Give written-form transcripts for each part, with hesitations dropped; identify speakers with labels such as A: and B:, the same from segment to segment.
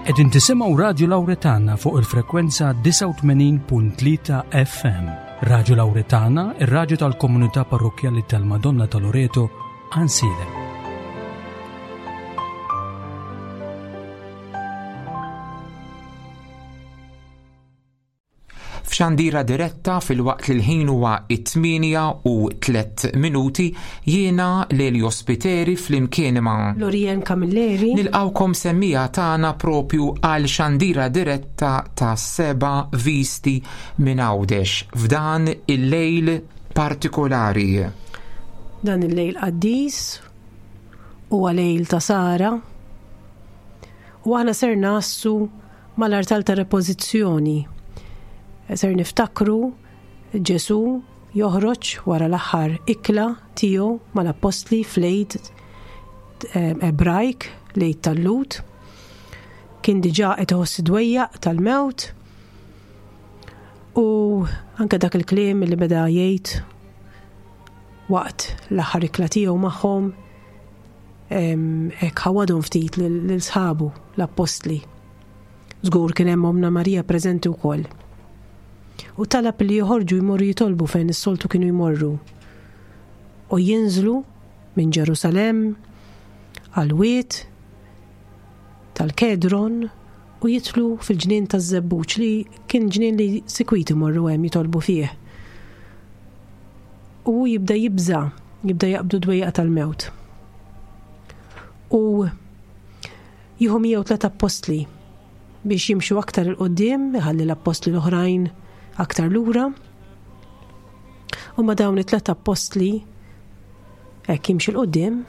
A: Qegħdin tisimgħu Radju Lawretana fuq il-frekwenza 89.3 FM. Radju Lawretana, ir-radju tal-komunità parrokkjali tal-Madonna ta' Loreto, Għansielem.
B: F'xandira diretta filwaqt li l-ħin huwa it-8 u 3 minuti jiena Lelio Spiteri flimkien ma'
C: Lorien Camilleri
B: nilqawkom semmija tagħna propju għal xandira diretta ta' seba' visti minn Għawdex f'dan il-lejl partikolari.
C: Dan il-lejl qaddis huwa lejl ta' Sara u aħna ser nassu mal-artal ta' repożizzjoni. Ser niftakru Ġesù joħroġ wara l-aħħar ikla tiegħu mal-appostli fl-Għid eh, Ebrajk, l-Għid tal-Lut. Kien diġà qed iħoss dwejjaq tal-mewt u anke dak il-kliem li beda jgħid waqt l-aħħar ikla tiegħu magħhom Hekk ħawadhom ftit lil sħabu l-appostli. Żgur kien hemm Ommna Marija preżenti wkoll. U talab li joħorġu jmorru jitolbu fejn is-soltu kienu jmorru. U jinżlu minn Ġerusalemm għal wied tal-Kedron u jidħlu fil-ġnien taż-Żebbuġ li kien ġnien li sikwit imorru hemm jitolbu fih. U hu jibda jibża', jibda jaqbdu dwejjaq tal-mewt. U jieħu miegħu tlet appostli biex jimxu aktar il-qoddim, iħalli l-appostli l-oħrajn aktar lura. U ma dawn it-tlet appostli hekk jimxi l-qoddim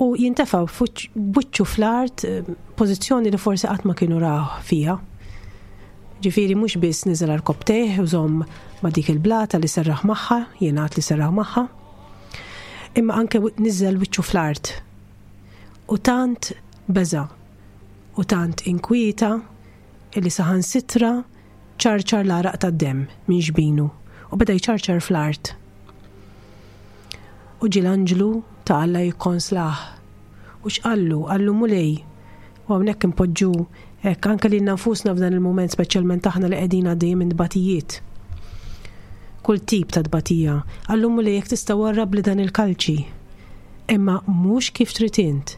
C: u jintefa' b'wiċċu fl-art eh, pożizzjoni li forsi qatt ma kienu raw fiha. Ġifieri mhux biss niżel għarkopptejh u żomm ma' dik il-blata li serraħ magħha, jingħad li serraħ magħha, imma anke niżel wiċċu fl-art. U tant beża' u tant inkwieta illi saħansitra ċarċar l-għaraq tad-demm minn xbinu u beda jċarċar fl-art. U ġie l-anġlu ta' Alla jikkonslah. U x'qallu? Qallu Mulej, u hawnhekk inpoġġu hekk anke lilna nfusna f'dan il-mument speċjalment aħna li qegħdin għaddejjin minn tbatijiet. Kull tip ta' tbatija. Qallu Mulej jekk tista' warrabli dan il-kalċi. Imma mhux kif trid int.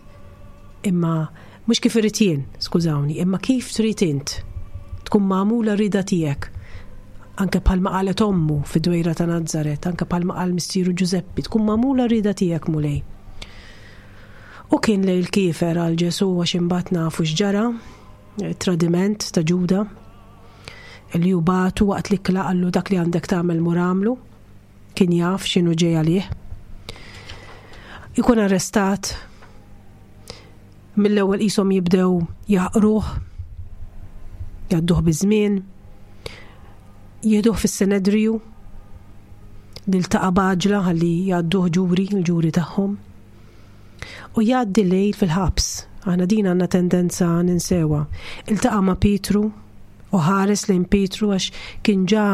C: Imma Mhux kif irrid jien, skużawni, imma kif trid int. Tkun magħmula r-rieda tiegħek. Anke bħalma qalet ommu fid-dwejra ta' Nazaret, anke bħalma qal missieru Ġużeppi, tkun magħmula r-rieda tiegħek, Mulej. U kien lejl kiefer għal Ġesù għax imbagħad nafu x'ġara, tradiment ta' Ġuda, li hu bagħtu waqt l-ikla qallu dak li għandek tagħmel mur għamlu. Kien jaf x'inhu ġej għalih. Ikun arrestat mill-ewwel qishom jibdew jaħqruh, jgħadduh biż-żmien, jieħduh fis-Senedriju, li ltaqa' b'għaġla ħalli jgħadduh ġuri, il-ġuri tagħhom. U jgħaddi lejl fil-ħabs. Aħna din għandna tendenza ninsewha. Iltaqa' ma' Pietru u ħares lejn Pietru għax kien ġa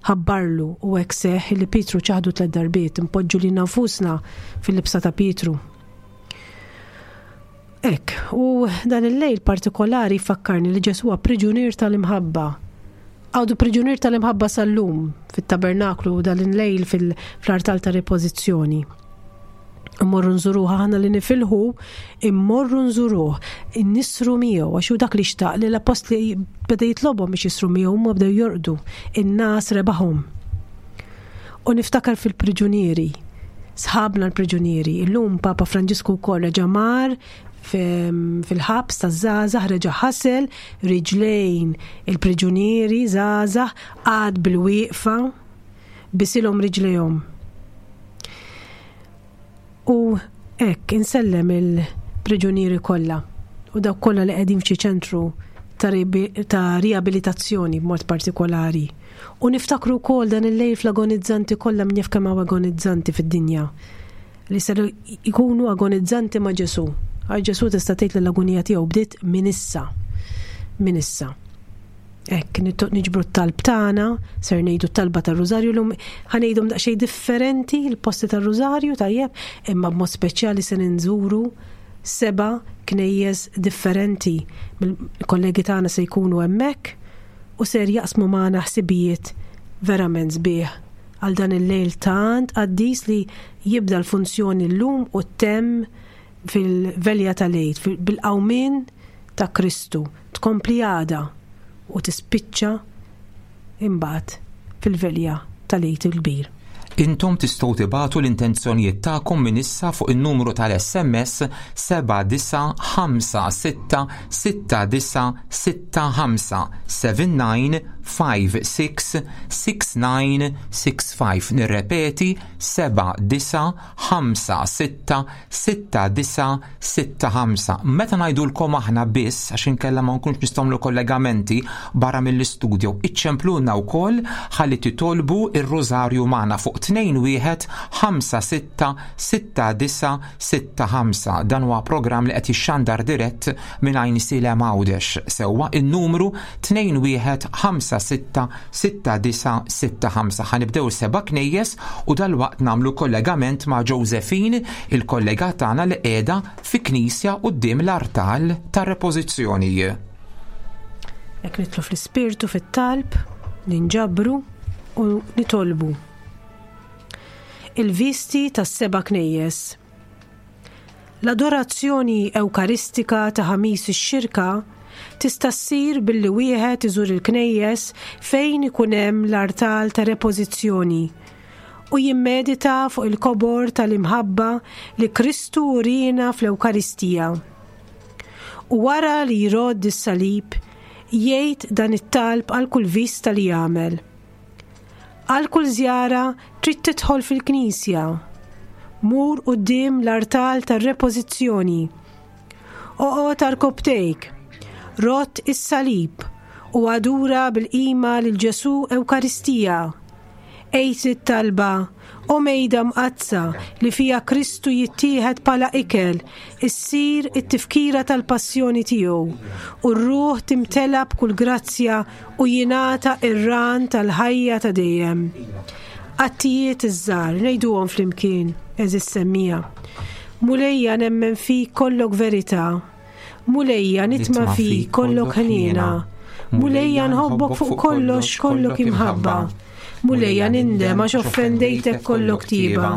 C: ħabbarlu u hekk seħħ li Pietru ċaħdu tliet darbiet, inpoġġu lilna nfusna fil-libsa ta' Pietru. Hekk, u dan il-lejl partikolari jfakkarni li Ġesù huwa priġunier tal-imħabba. Għadu priġunier tal-imħabba sal-lum fit-tabernaklu u dan il-lejl fil-artal ta' ripożizzjoni. Immorru nżuruh aħna li nifilħu, immorru nżuruh, nisru miegħu għax hu dak li xtaq li l-appostli beda jitlobhom biex jisru miegħu huma bdew jorqdu. In-nas rebaħhom. U niftakar fil-priġunieri, sħabna l-priġunieri. Illum Papa Franġisku wkoll reġa' mar fil-ħabs taż-żgħażagħ reġa' ħasel riġlejn il-priġunieri żgħażagħ qagħad bil-wieqfa bisilhom riġlejhom. U hekk insellem il-priġunieri kollha u dawk kollha li qegħdin f'xi ċentru ta' riabilitazzjoni b'mod partikolari. U niftakru wkoll dan il-lejl fl-agonizzanti kollha min jaf kemm hawn agonizzanti fid-dinja li ser ikunu agonizzanti ma' Ġesù. Għax Ġesù tista' tgħid li l-agonija tiegħu bdiet minn issa. Minn issa. Hekk niġbru t-talb tagħna, ser ngħidu t-talba tar-Rużarju llum ħa ngħidhom daqsxejn differenti l-posti tar-Rużarju tajjeb, imma b'mod speċjali se ninżuru Seba' knejjes differenti mill-kollegi tagħna se jkunu hemmhekk u ser jaqsmu magħna ħsibijiet verament sbieħ għal dan il-lejl tant qaddis li jibda l-funzjoni llum u ttemm fil-velja tal-Għid, bil-qawmien ta' Kristu, tkompli għada u tispiċċa imbagħad fil-velja tal-Għid il-Kbir.
B: Intom tistgħu tibagħtu l-intenzjonijiet tagħkom minn issa fuq in-numru tal-SMS 79566965 79566965 Nirrepeti 7956 6965. Meta ngħidulkom aħna biss, għax inkella ma nkunx nistgħu nagħmlu kollegamenti barra mill-istudio, iċċemplulna wkoll ħalli titolbu r-rużarju magħna fuq 21 56 69 65. Dan huwa programm li qed jixxandar dirett minn Għajnsielem Għawdex. Sewwa in-numru 21 56 6965. Ħa nibdew is-seba' knejjes u dalwaqt nagħmlu kollegament ma' Josephine, il-kollega tagħna li qiegħda fi knisja quddiem l-artal tar-repożizzjoni.
C: Hekk nidħlu fl-ispirtu fit-talb, ninġabru u nitolbu. Il-visti tas-seba' knejjes. L-adorazzjoni Ewkaristika ta' Ħamis ix-Xirka tista' ssir billi wieħed iżur il-knejjes fejn ikun hemm l-artal ta' repożizzjoni u jimmedita fuq il-kobor tal-imħabba li Kristu uriena fl-Ewkaristija. U wara li jrodd is-salib, jgħid dan it-talb għal kull vista li jagħmel. Għal kull żjara trid tidħol fil-knisja. Mur quddiem l-artal tar-repożizzjoni. Oqgħod għarkopptejk, rodd is-salib u adura bil-qima lil Ġesù Ewkaristija. Għid it-talba, O Mejda Mqaddsa li fiha Kristu jittieħed bħala ikel, issir it-tifkira tal-passjoni tiegħu, u r-ruħ timtela b'kull grazzja u jingħata r-ran tal-ħajja ta' dejjem. Attijiet iż-żgħar, ngħiduhom flimkien, għeżież semmiegħa. Mulejja nemmen fik kollok verità. Mulejja nitma' fik kollok ħniena. Mulejja nħobbok fuq kollox kollok imħabba. Mulejja nindem għax offendejtek kollok tieba.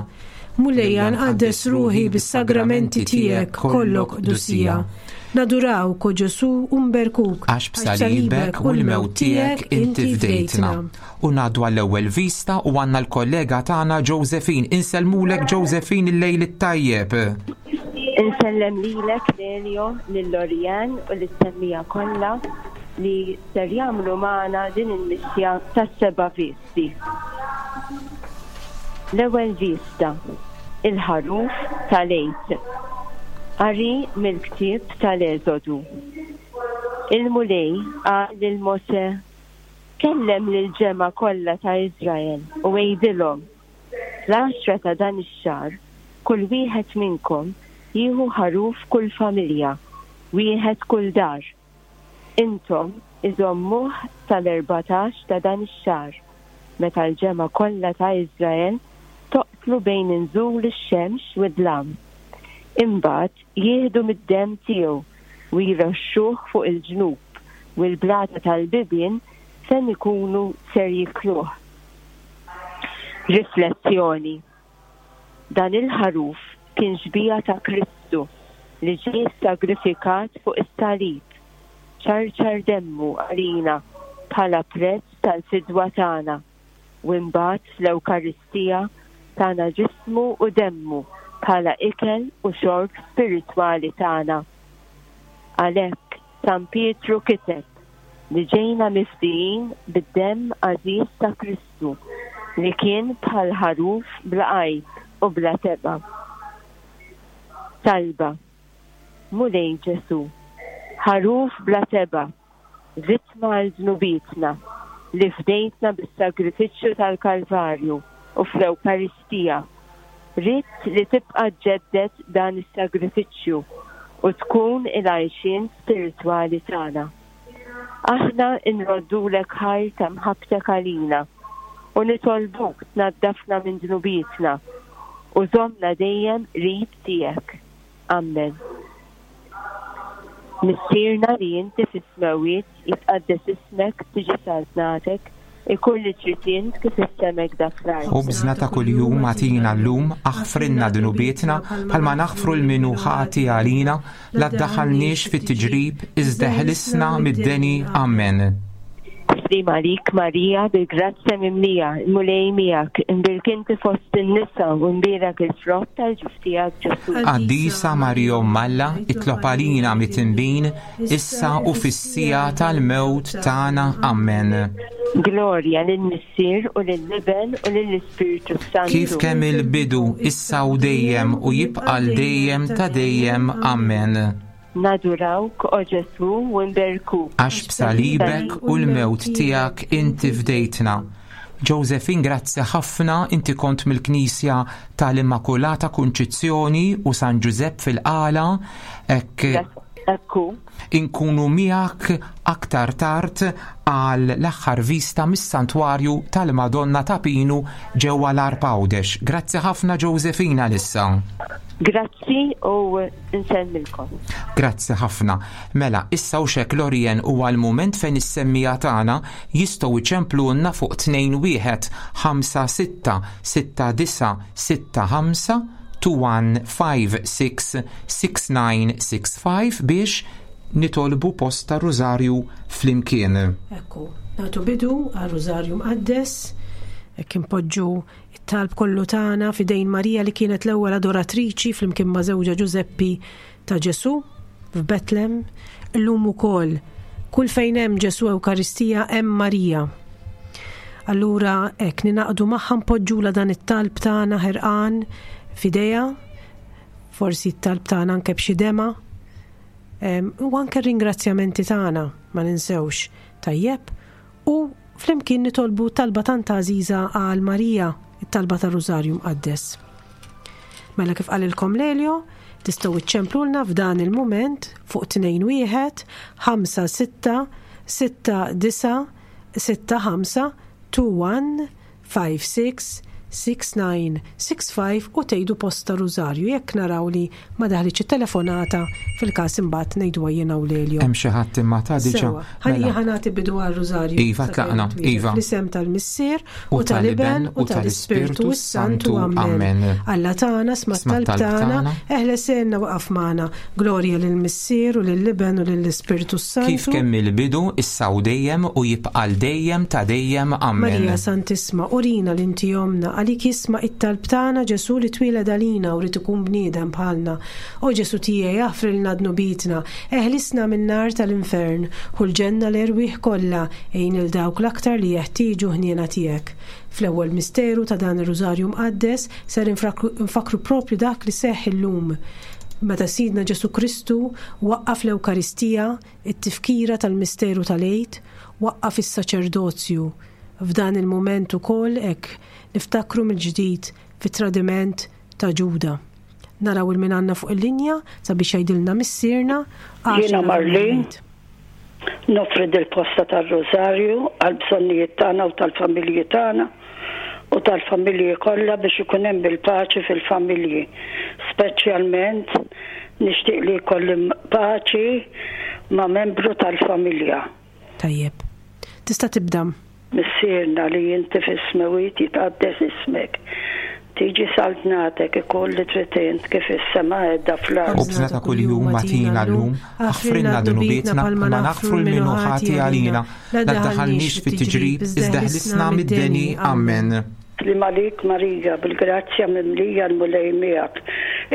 C: Mulejja nqaddes ruħi bis-sagramenti tiegħek kollok qdusija. Nadurawk, o Ġesù, u nberkuk.
B: Għax b'salibek u l-mewt tiegħek inti fdejtna. U ngħaddu għall-ewwel vista u għandna l-kollega tagħna Josephine. Insellmulek Josephine il-lejl it-tajjeb.
D: Insellem lilek Lelio, lil Lorianne u lis-semmiegħa kollha li ser jagħmlu magħna din il-mixja tas-seba' visti. L-ewwel vista, il-ħaruf tal-Għid. Qari mill-ktieb tal-Eżodu. Il-Mulej qal lil Mosè, Kellem lill-ġemgħa kollha ta' Iżrael u għidilhom, Fl-għaxra ta' dan ix-xahar, kull wieħed minnkom jieħu ħaruf kull familja, wieħed kull dar. Intom iżommuh sal-erbatax ta' dan ix-xahar, meta l-ġemgħa kollha ta' Iżrael toqtlu bejn inżul ix-xemx u d-dlam. Imbagħad jieħdu mid-demm tiegħu u jroxxuh fuq il-ġnub u l-blata tal-bibien fejn ikunu ser jikluh. Riflessjoni, Dan il-ħaruf kien xbieha ta' Kristu li ġie ssagrifikat fuq is-salib, ċarċar demmu għalina bħala prezz tal-fidwa tagħna u imbagħad fl-Ewkaristija tana ġismu u demmu bħala ikel u xorb spiritwali tagħna. Għalhekk San Pietru kiteb li ġejna mifdijin bid-demm għażiż ta' Kristu li kien bħal ħaruf bla għajb u bla tebgħa. Talba, Mulej Ġesù, ħaruf bla tebgħa, vittma għal dnubietna, li fdejtna bis-sagrifiċċju tal-Kalvarju u fl-Ewkaristija, ridt li tibqa' ġġedded dan is-sagrifiċċju u tkun il-għajxien spiritwali tagħna. Aħna nroddulek ħajr ta' mħabbtek għalina u nitolbuk tnaddafna minn dnubietna u żommna dejjem qrib tiegħek. Ammen. Missierna li inti fis-smewwiet, jitqaddes ismek, tiġi saltnatek, ikun li trid int kif is-sema hekk dak fl-art.
B: Ħobżna ta' kuljum agħtina llum, aħfrilna dnubietna bħalma naħfru 'l min hu ħati għalina, la ddaħħalniex fit-tiġrib, iżda eħlisna mid-deni. Amen.
D: Sliem għalik Marija, bil-grazzja mimlija, il-Mulej miegħek, imbierk inti fost in-nisa u mbierek il-frott tal-ġuf tiegħek Ġesù.
B: Qaddisa Marija Omm Alla, itlob għalina mitinbin, issa u fis-siegħa tal-mewt tagħna. Amen.
D: Glorja lill-Missier u lill-Iben u lill-Ispirtu s-Santu.
B: Kif kemm il-bidu, issa u dejjem u jibqa' 'l dejjem ta' dejjem. Amen.
D: Nadurawk, o Ġesù, u nberkuk.
B: Għax b'salibek u l-mewt tiegħek inti fdejtna. Josephine, grazzi ħafna, inti kont mill-Knisja tal-Immakulata Kunċizzjoni u San Ġużepp fil-Qala, hekk
D: Ekku.
B: Inkunu miegħek aktar tard għal l-aħħar vista mis-Santwarju tal-Madonna ta' Pinu ġewwa l-Għarb Għawdex. Grazzi ħafna Josephine għalissa.
D: Grazzi u nsellmilkom.
B: Grazzi ħafna. Mela, issa u xek Lorien huwa l-mument fejn is-semmiegħa tagħna jistgħu jċemplulna fuq 21 56 69 65 2156 6965 biex nitolbu post ta' rużarju flimkien.
C: Ekku, nagħtu bidu għar-Rużarju Mqaddes, hekk inpoġġu it-talb kollu tagħna f'idejn Marija li kienet l-ewwel adoratriċi flimkien ma' żewġha Ġużeppi ta' Ġesù f'Betlem. Illum ukoll kull fejn hemm Ġesù Ewkaristija hemm Marija. Allura hekk ninaqdu magħha npoġġula dan it-talb tagħna ħerqan f'idejha, forsi t-talb tagħna anke b'xi dema, u anke r-ringrazzjamenti tagħna ma ninsewx. Tajjeb, u flimkien nitolbu talba tant għażiża għal Marija, it-talba tar-Rużarju Mqaddes. Mela kif qalilkom Lelio, tistgħu iċċemplulna f'dan il-mument fuq 21 5 6 6 9 6 5 2 1 566965 u tgħidu post ta' Rużarju jekk naraw li ma daħlitx it-telefonata fil-każ imbagħad ngħiduha jiena u Lelio.
B: Hemm xi ħadd imma ta' diġà.
C: Sewwa, ħalli
B: Mela.
C: ħa nagħti bidu għar-Rużarju.
B: Iva,
C: sakemm
B: tlaqna,
C: twieġeb.
B: iva.
C: Fl-isem tal-Missier
B: U
C: u tal-Iben u tal-Ispirtu s-Santu. Amen.
B: Amen.
C: Alla tagħna sma'
B: Sma'
C: t-talb
B: t-talb
C: tagħna,
B: tagħna.
C: eħles għenna waqaf magħna. Glorja lill-Missier u lill-Iben u lill-Ispirtu s-Santu.
B: Kif kemm il-bidu, issa u dejjem u jibqa' għal dejjem ta' dejjem. Amen.
C: Marija Santissma, urina li inti ommna, għalik jisma' it-talb tagħna Ġesù li twieled għalina u ried ikun bniedem bħalna. O Ġesù tiegħi aħfrilna dnubietna, eħlisna min-nar tal-infern, ħu l-ġenna l-erwieħ kollha, għin 'il dawk l-aktar li jeħtieġu ħniena tiegħek. Fl-ewwel misteru ta' dan ir-Rużarju Mqaddes ser infakkru proprju dak li seħħ illum, meta Sidna Ġesù Kristu waqqaf l-Ewkaristija, it-tifkira tal-misteru tal-Għid, waqqaf is-saċerdozju. F'dan il-mument ukoll hekk niftakru mill-ġdid fit-tradiment ta' Ġuda. Naraw il min għandna fuq il-linja sabiex jgħidilna Missierna għax
E: Jiena Marlene, noffri dil-posta tar-Rużarju għall-bżonnijiet tagħna u tal-familji tagħna u tal-familji kollha biex ikun hemm il-paċi fil-familji. Speċjalment nixtieq li jkolli paċi ma' membru tal-familja.
C: Tajjeb. Tista' tibda.
E: Missierna li inti fis-smewwiet jitqaddes ismek. Tiġi saltnatek, ikun li trid int kif fis-sema qiegħda fl-art.
B: Ħobżna ta' kuljum agħtina llum, aħfrilna dnubietna bħalma naħfru 'l min hu ħati għalina, La ddaħħalniex fit-tiġrib, iżda ħlisna mid-deni. Ammen.
E: Sliem għalik Marija, bil-grazzja mimlija l-Mulej miegħek.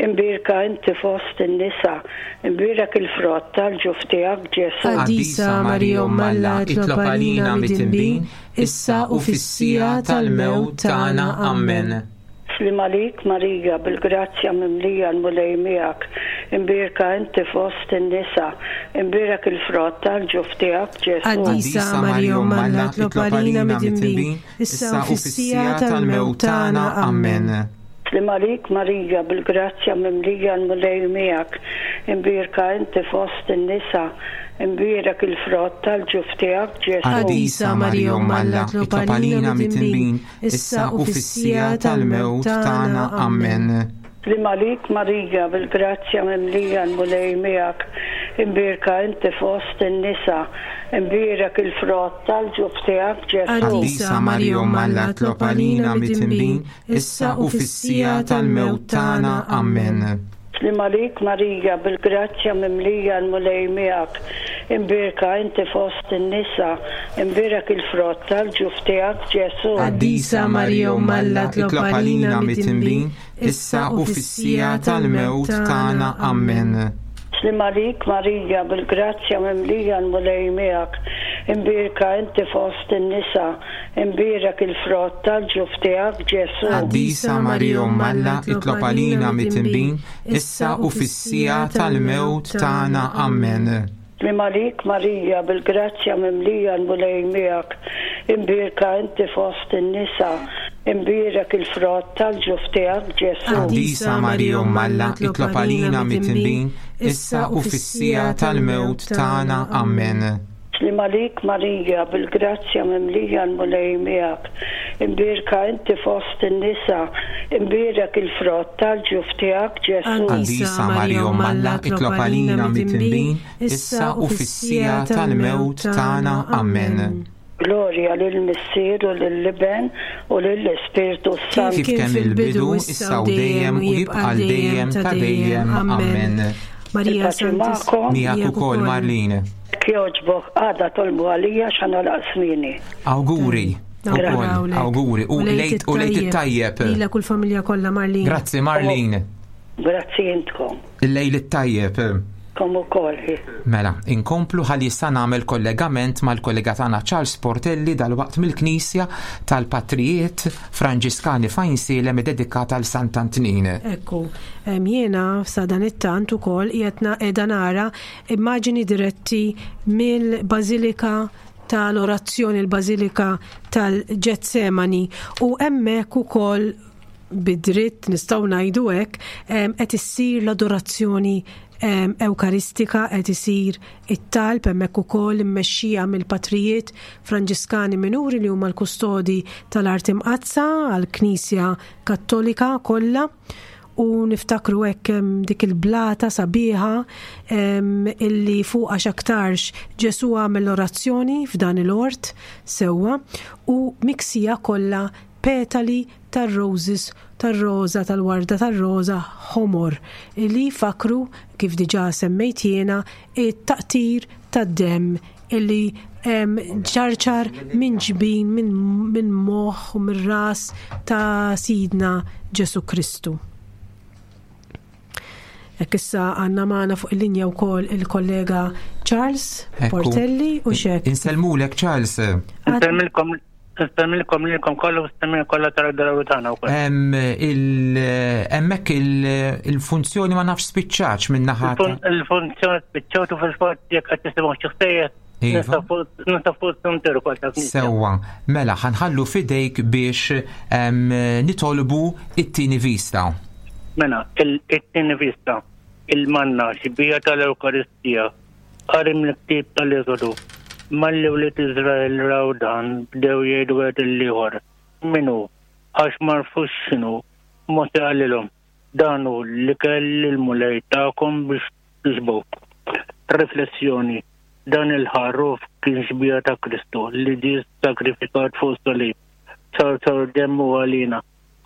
E: Imbierka inti fost in-nisa, imbierek il-frott tal-ġuf tiegħek Ġesù.
B: Qaddisa Marija Omm Alla, itlob għalina midinbin, issa u fis-siegħa tal-mewt tagħna. Ammen.
E: Sliem għalik Marija, bil-grazzja mimlija l-Mulej miegħek, imbierka inti fost in-nisa, imbierek il-frott tal-ġuf tiegħek Ġesù.
C: Qaddisa Marija Omm Alla, itlob għalina midinbin, issa u fis-siegħa tal-mewt tagħna.
B: Ammen.
E: Sliem għalik Marija, bil-grazzja mimlija l-Mulej miegħek, imbierka inti fost in-nisa, imbierek il-frott tal-ġuf tiegħek Ġesù.
B: Qaddisa Marija Omm Alla, itlob għalina midinbin, issa u fis-siegħa tal-mewt tagħna. Ammen.
E: Sliem għalik Marija, bil-grazzja mimlija l-Mulej miegħek, Imbierka inti fost in-nisa, imbierek il-frott tal-ġuf tiegħek Ġesù.
B: Qaddisa Marija Omm Alla tlob għalina midinbin, issa u fis-siegħa tal-mewt tagħna. Ammen.
E: Sliem għalik Marija, bil-grazzja mimlija l-Mulej miegħek, imbierka inti fost in-nisa, imbierek il-frott tal-ġuf tiegħek Ġesù.
B: Qaddisa Marija Omm Alla tlob għalina midinbin, issa u fis-siegħa tal-mewt tagħna. Ammen.
E: Sliem għalik Marija, bil-grazzja mimlija l-Mulej miegħek, imbierka inti fost in-nisa, imbierek il-frott tal-ġuf tiegħek Ġesù.
B: Qaddisa Marija Omm Alla, itlob għalina midinbin, issa u fis-siegħa tal-mewt tagħna. Ammen.
E: Sliem għalik Marija, bil-grazzja mimlija l-Mulej miegħek, imbierka inti fost in-nisa, imbierek il-frott tal-ġuf tiegħek Ġesù.
B: Qaddisa Marija Omm Alla, itlob għalina midinbin, issa u fis-siegħa tal-mewt tagħna. Ammen.
E: Sliem għalik Marija, bil-grazzja mimlija l-Mulej miegħek, imbierka inti fost in-nisa, imbierek il-frott tal-ġuf tiegħek Ġesù.
B: Qaddisa Marija Omm Alla, itlob għalina midinbin, issa u fis-siegħa tal-mewt tagħna. Ammen.
E: Glorja lill-Missier u lill-Iben u lill-Ispirtu s-Santu.
B: Kif kien fil-bidu, issa u dejjem u jibqa' għal dejjem ta' dejjem. Ammen.
C: Marija
E: Il-paċi magħkom.
B: Miegħek ukoll, Marlene.
E: Jekk jogħġbok għada tolbu għalija x'għanalaq smieni.
B: Awguri. Ukoll, awguri. U lejt u lejt it-tajjeb.
C: Lilek u l-familja kollha, Marlene.
B: Grazzi, Marlene.
E: Grazzi intkom.
B: Il-lejl it-tajjeb.
E: Kom ukoll.
B: Mela, inkomplu ħalli issa nagħmel kollegament mal-kollega tagħna Charles Portelli dalwaqt mill-Knisja tal-Patrijiet Franġiskani f'Għajnsielem iddedikata għal Sant'Antnin.
C: Ekku, jiena sa dan it-tant ukoll qiegħed qiegħda nara immaġini diretti mill-Bażilika tal-Orazzjoni, il-Bażilika tal-Ġetsemani u hemmhekk ukoll bi dritt nistgħu ngħidu hekk, qed issir l-adorazzjoni Ewkaristika, qed isir it-talb hemmhekk ukoll immexxija mill-patrijiet Franġiskani Minuri li huma l-kustodi tal-Art Imqaddsa għall-Knisja Kattolika kollha. U niftakru hekk dik il-blata sabiħa illi fuqha x'aktarx Ġesù għamel l-orazzjoni f'dan il-ort sewwa u miksija kollha petali tar-roses, tar-roża, tal-warda tar-roża ħomor, li jfakkru, kif diġà semmejt jiena, it-taqtir tad-demm illi ċarċar minn ġbin, minn moħħ u mir-ras ta' Sidna Ġesù Kristu. Hekk issa għandna magħna fuq il-linja wkoll il-kollega Charles Portelli u xek.
B: Insellmulek Charles.
F: Insellmilkom Insellmilkom lilkom kollha u s-semmin kollha tal-darawi tagħna wkoll.
B: Hemmhekk il-funzjoni ma nafx spiċċax minn naħa.
F: Il-funzjoni spiċċat u fil-fatt jekk qed tisimgħu xi ħsejjes
B: Iva.
F: Nista' fuq s-suntier ukoll ta'
B: Sewwa, mela ħanħallu fidejk biex nitolbu it-tieni vista.
F: Mela, it-tieni vista, il-manna xbija tal-Ewkaristija, qari mill-ktieb tal-Eżodu. Malli wlied Iżrael raw dan, bdew jgħidu wieħed lill-ieħor, Min hu? Għax m'għarfux x'inhu. Mosè qalilhom, Dan hu l-ikel li l-Mulej takom biex tixbgħu. Riflessjoni, Dan il-ħaruf kien xbieha ta' Kristu li ġie ssagrifikat fuq is-salib. Ċarċar demmu għalina,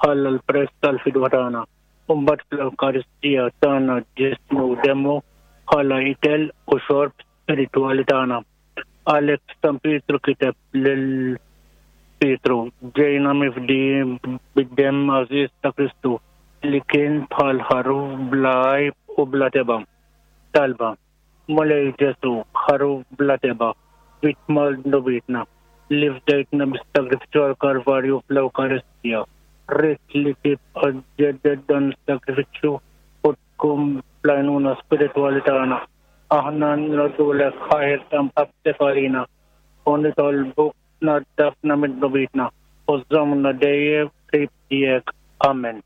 F: ħalla l-prezz tal-fidwa tagħna. U mbagħad fl-Ewkaristija tana ġismu u demmu bħala ikel u xorb spiritwali tagħna. Għalhekk San Pietru kiteb lil Pietru, ġejna mifdijin bid-demm għażiż ta' Kristu li kien bħal ħaruf bla għajb u bla tebgħa. Talba, Mulej Ġesù, ħaruf bla tebgħa, vittma għal dnubietna, li fdejtna bis-sagrifiċċju għall-Kalvarju fl-Ewkaristija, ridt li tibqa' ġġedded dan is-sagrifiċċju u tkun bl-għajnuna spiritwali tagħna. Aħna nroddulek ħajr ta' mħabbtek għalina u nitolbuk tnaddafna minn dnubietna u żżommna dejjem qrib tiegħek. Amen.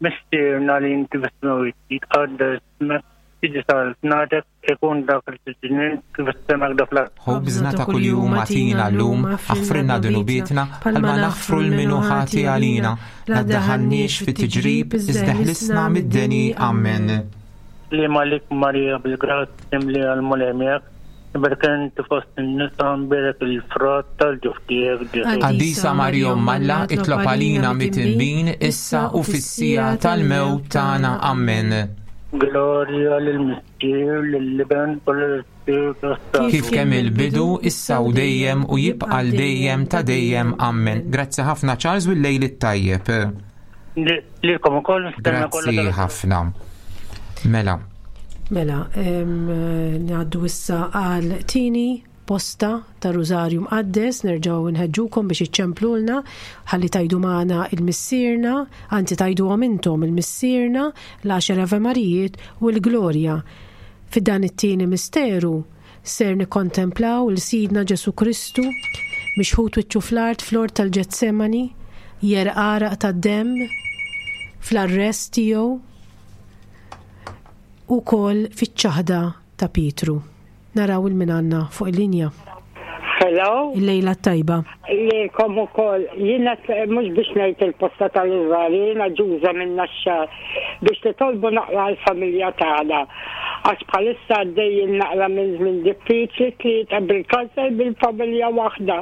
F: Missierna li inti fis-smewwiet, jitqaddes ismek, tiġi saltnatek, ikun dak li trid int kif fis-sema hekk fl-art.
B: Ħobżna ta' kuljum agħtina llum, aħfrilna dnubietna, bħalma naħfru 'l min hu ħati għalina. La ddaħħalniex fi tiġrib, iżda ħlisna mid-deni. Ammen.
F: Sliema għalik Marija bil-grazzja mimlija l-Mulej miegħek, imberka inti fost in-nisa mbierek il-frott tal-ġuf tiegħek Ġesù.
B: Qaddisa Marija Omm Alla, itlob għalina mitinbin, issa u fis-siegħa tal-mewt tagħna. Ammen.
F: Glorja lill-Missier, lill-Iben u lill-Ispirtu s-Santu.
B: Kif kemm il-bidu, issa u dejjem u jibqa' għal dejjem ta' dejjem. Ammen. Grazzi ħafna Charles u l-lejl it-tajjeb.
F: Lilkom ukoll nistenna kollha.
B: Grazzi ħafna. Mela.
C: Mela, ngħaddu issa għal tini posta ta' Rużarju Mqaddes, nerġgħu nħeġġukom biex iċċemplulna ħalli tajdu magħna il-Missierna, anzi tajduhom intom il-Missierna, l-għaxar Ave Marijiet u l-Glorja. Fid-dan it-tieni misteru Ser nikkontemplaw 'l Sidna Ġesù Kristu, mixħut wiċċu fl-art fl-ort tal-Ġetsemani, jegħreq għaraq tad-demm fl-arrest tiegħu u wkoll fiċ-ċaħda ta' Pietru. Naraw 'il min għandna fuq il-linja.
G: Hello.
C: Il-lejla t-tajba.
G: Lilkom ukoll. Jiena mhux biex ngħid il-posta tal-Iżrael, jiena ġuża minn Naxxar biex titolbu naqra għall-familja tagħna. Għax bħalissa għaddejjin naqra minn żmien diffiċli tlieta bil-kanser bil-familja waħda.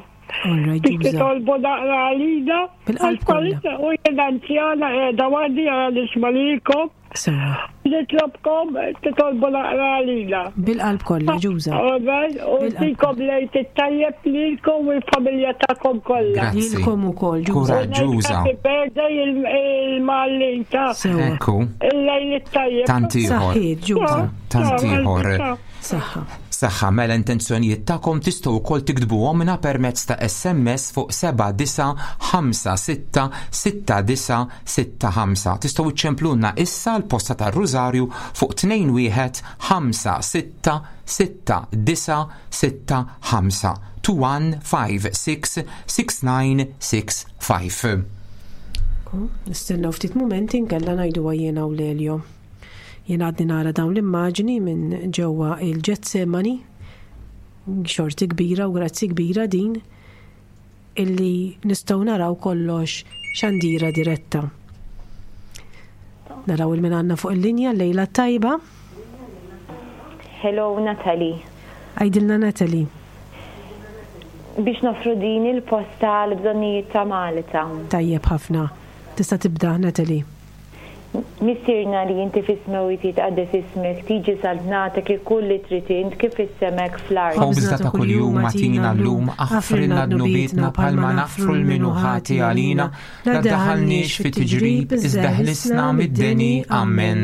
G: Biex titolbu naqra għalina.
C: Bil-qalb kollha.
G: U jiena anzjana qiegħda waħdi għal nisma' lilkom.
C: Sewa.
G: Nitlobkom titolbu naqra għalina.
C: Bil-qalb kollha, ġuża.
G: Amen. U tikom lejt it-tajjeb lilkom u l-familja tagħkom kollha.
C: Lilkom ukoll, ġuża.
B: Kuraġġuża.
G: Happy birthday il-Malin ta'
C: Sewa.
B: Ekku.
G: Il-lejl it-tajjeb.
B: Tant ieħor.
C: Saħħiet, ġuża.
B: Tant ieħor.
C: Saħħa.
B: Saħħa mela intenzjonijiet tagħkom tistgħu wkoll tiktbuhomna permezz ta' SMS fuq 79566965. Tistgħu iċċemplulna issa l-posta tar-Rużarju fuq 21566965 21566965.
C: Nistennew ftit mumenti nkella ngħiduha jiena u Lelio. Jien għadni nara dawn l-immaġni minn ġewwa il-Ġetsemani, xorti kbira u grazzi kbira din illi nistgħu naraw kollox xandira diretta. Naraw il-min għandna fuq il-linja lejla tajba.
D: Hello Natalie.
C: Għidilna Natalie.
D: Biex nofru din il-posta għal bżonnijiet ta' Malta.
C: Tajjeb ħafna. Tista' tibda Natalie.
D: Missierna li inti fis-smewwiet jitqaddes ismek, tiġi saltnatek, ikun li trid int kif fis-sema hekk fl-art.
B: Ħobżna ta' kuljum agħtina llum, aħfrilna dnubietna bħalma naħfru 'l min hu ħati għalina, la ddaħħalniex fi tiġrib, iżda ħlisna mid-deni. Ammen.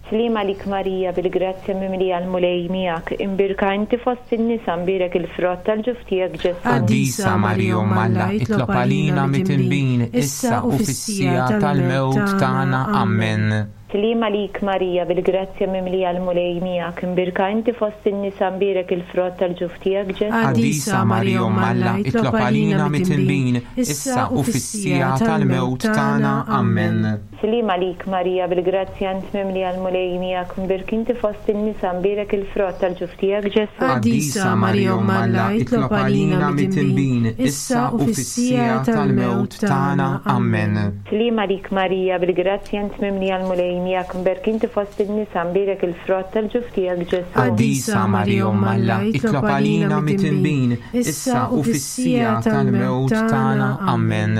D: Sliem għalik Marija bil-grazzja mimlija l-Mulej miegħek, imbierka inti fost in-nisa mbierek il-frott tal-ġuf tiegħek Ġesù.
B: Qaddisa Marija Omm Alla, itlob għalina mitinbin, issa u fis-siegħa tal-mewt tagħna. Ammen.
D: Sliem għalik Marija bil-grazzja mimlija l-Mulej miegħek, imbierka inti fost in-nisa mbierek il-frott tal-ġuf tiegħek Ġesù.
B: Qaddisa Marija Omm Alla, itlob għalina mitinbin, issa u fis-siegħa tal-mewt tagħna. Ammen.
D: Sliem għalik Marija bil-grazzja int mimlija l-Mulej miegħek mbierk inti fost in-nisa mbierek il-frott tal-ġuf tiegħek Ġesù.
B: Qaddisa Marija Omm Alla itlob għalina mitinbin issa u fis-siegħa tal-mewt tagħna. Ammen.
D: Sliem għalik Marija bil-grazzja int mimlija l-Mulej miegħek mbierk inti fost in-nisa mbierek il-frott tal-ġuf tiegħek Ġesù.
B: Qaddisa Marija Omm Alla itlob għalina mitinbin issa u fis-siegħa tal-mewt tagħna. Ammen.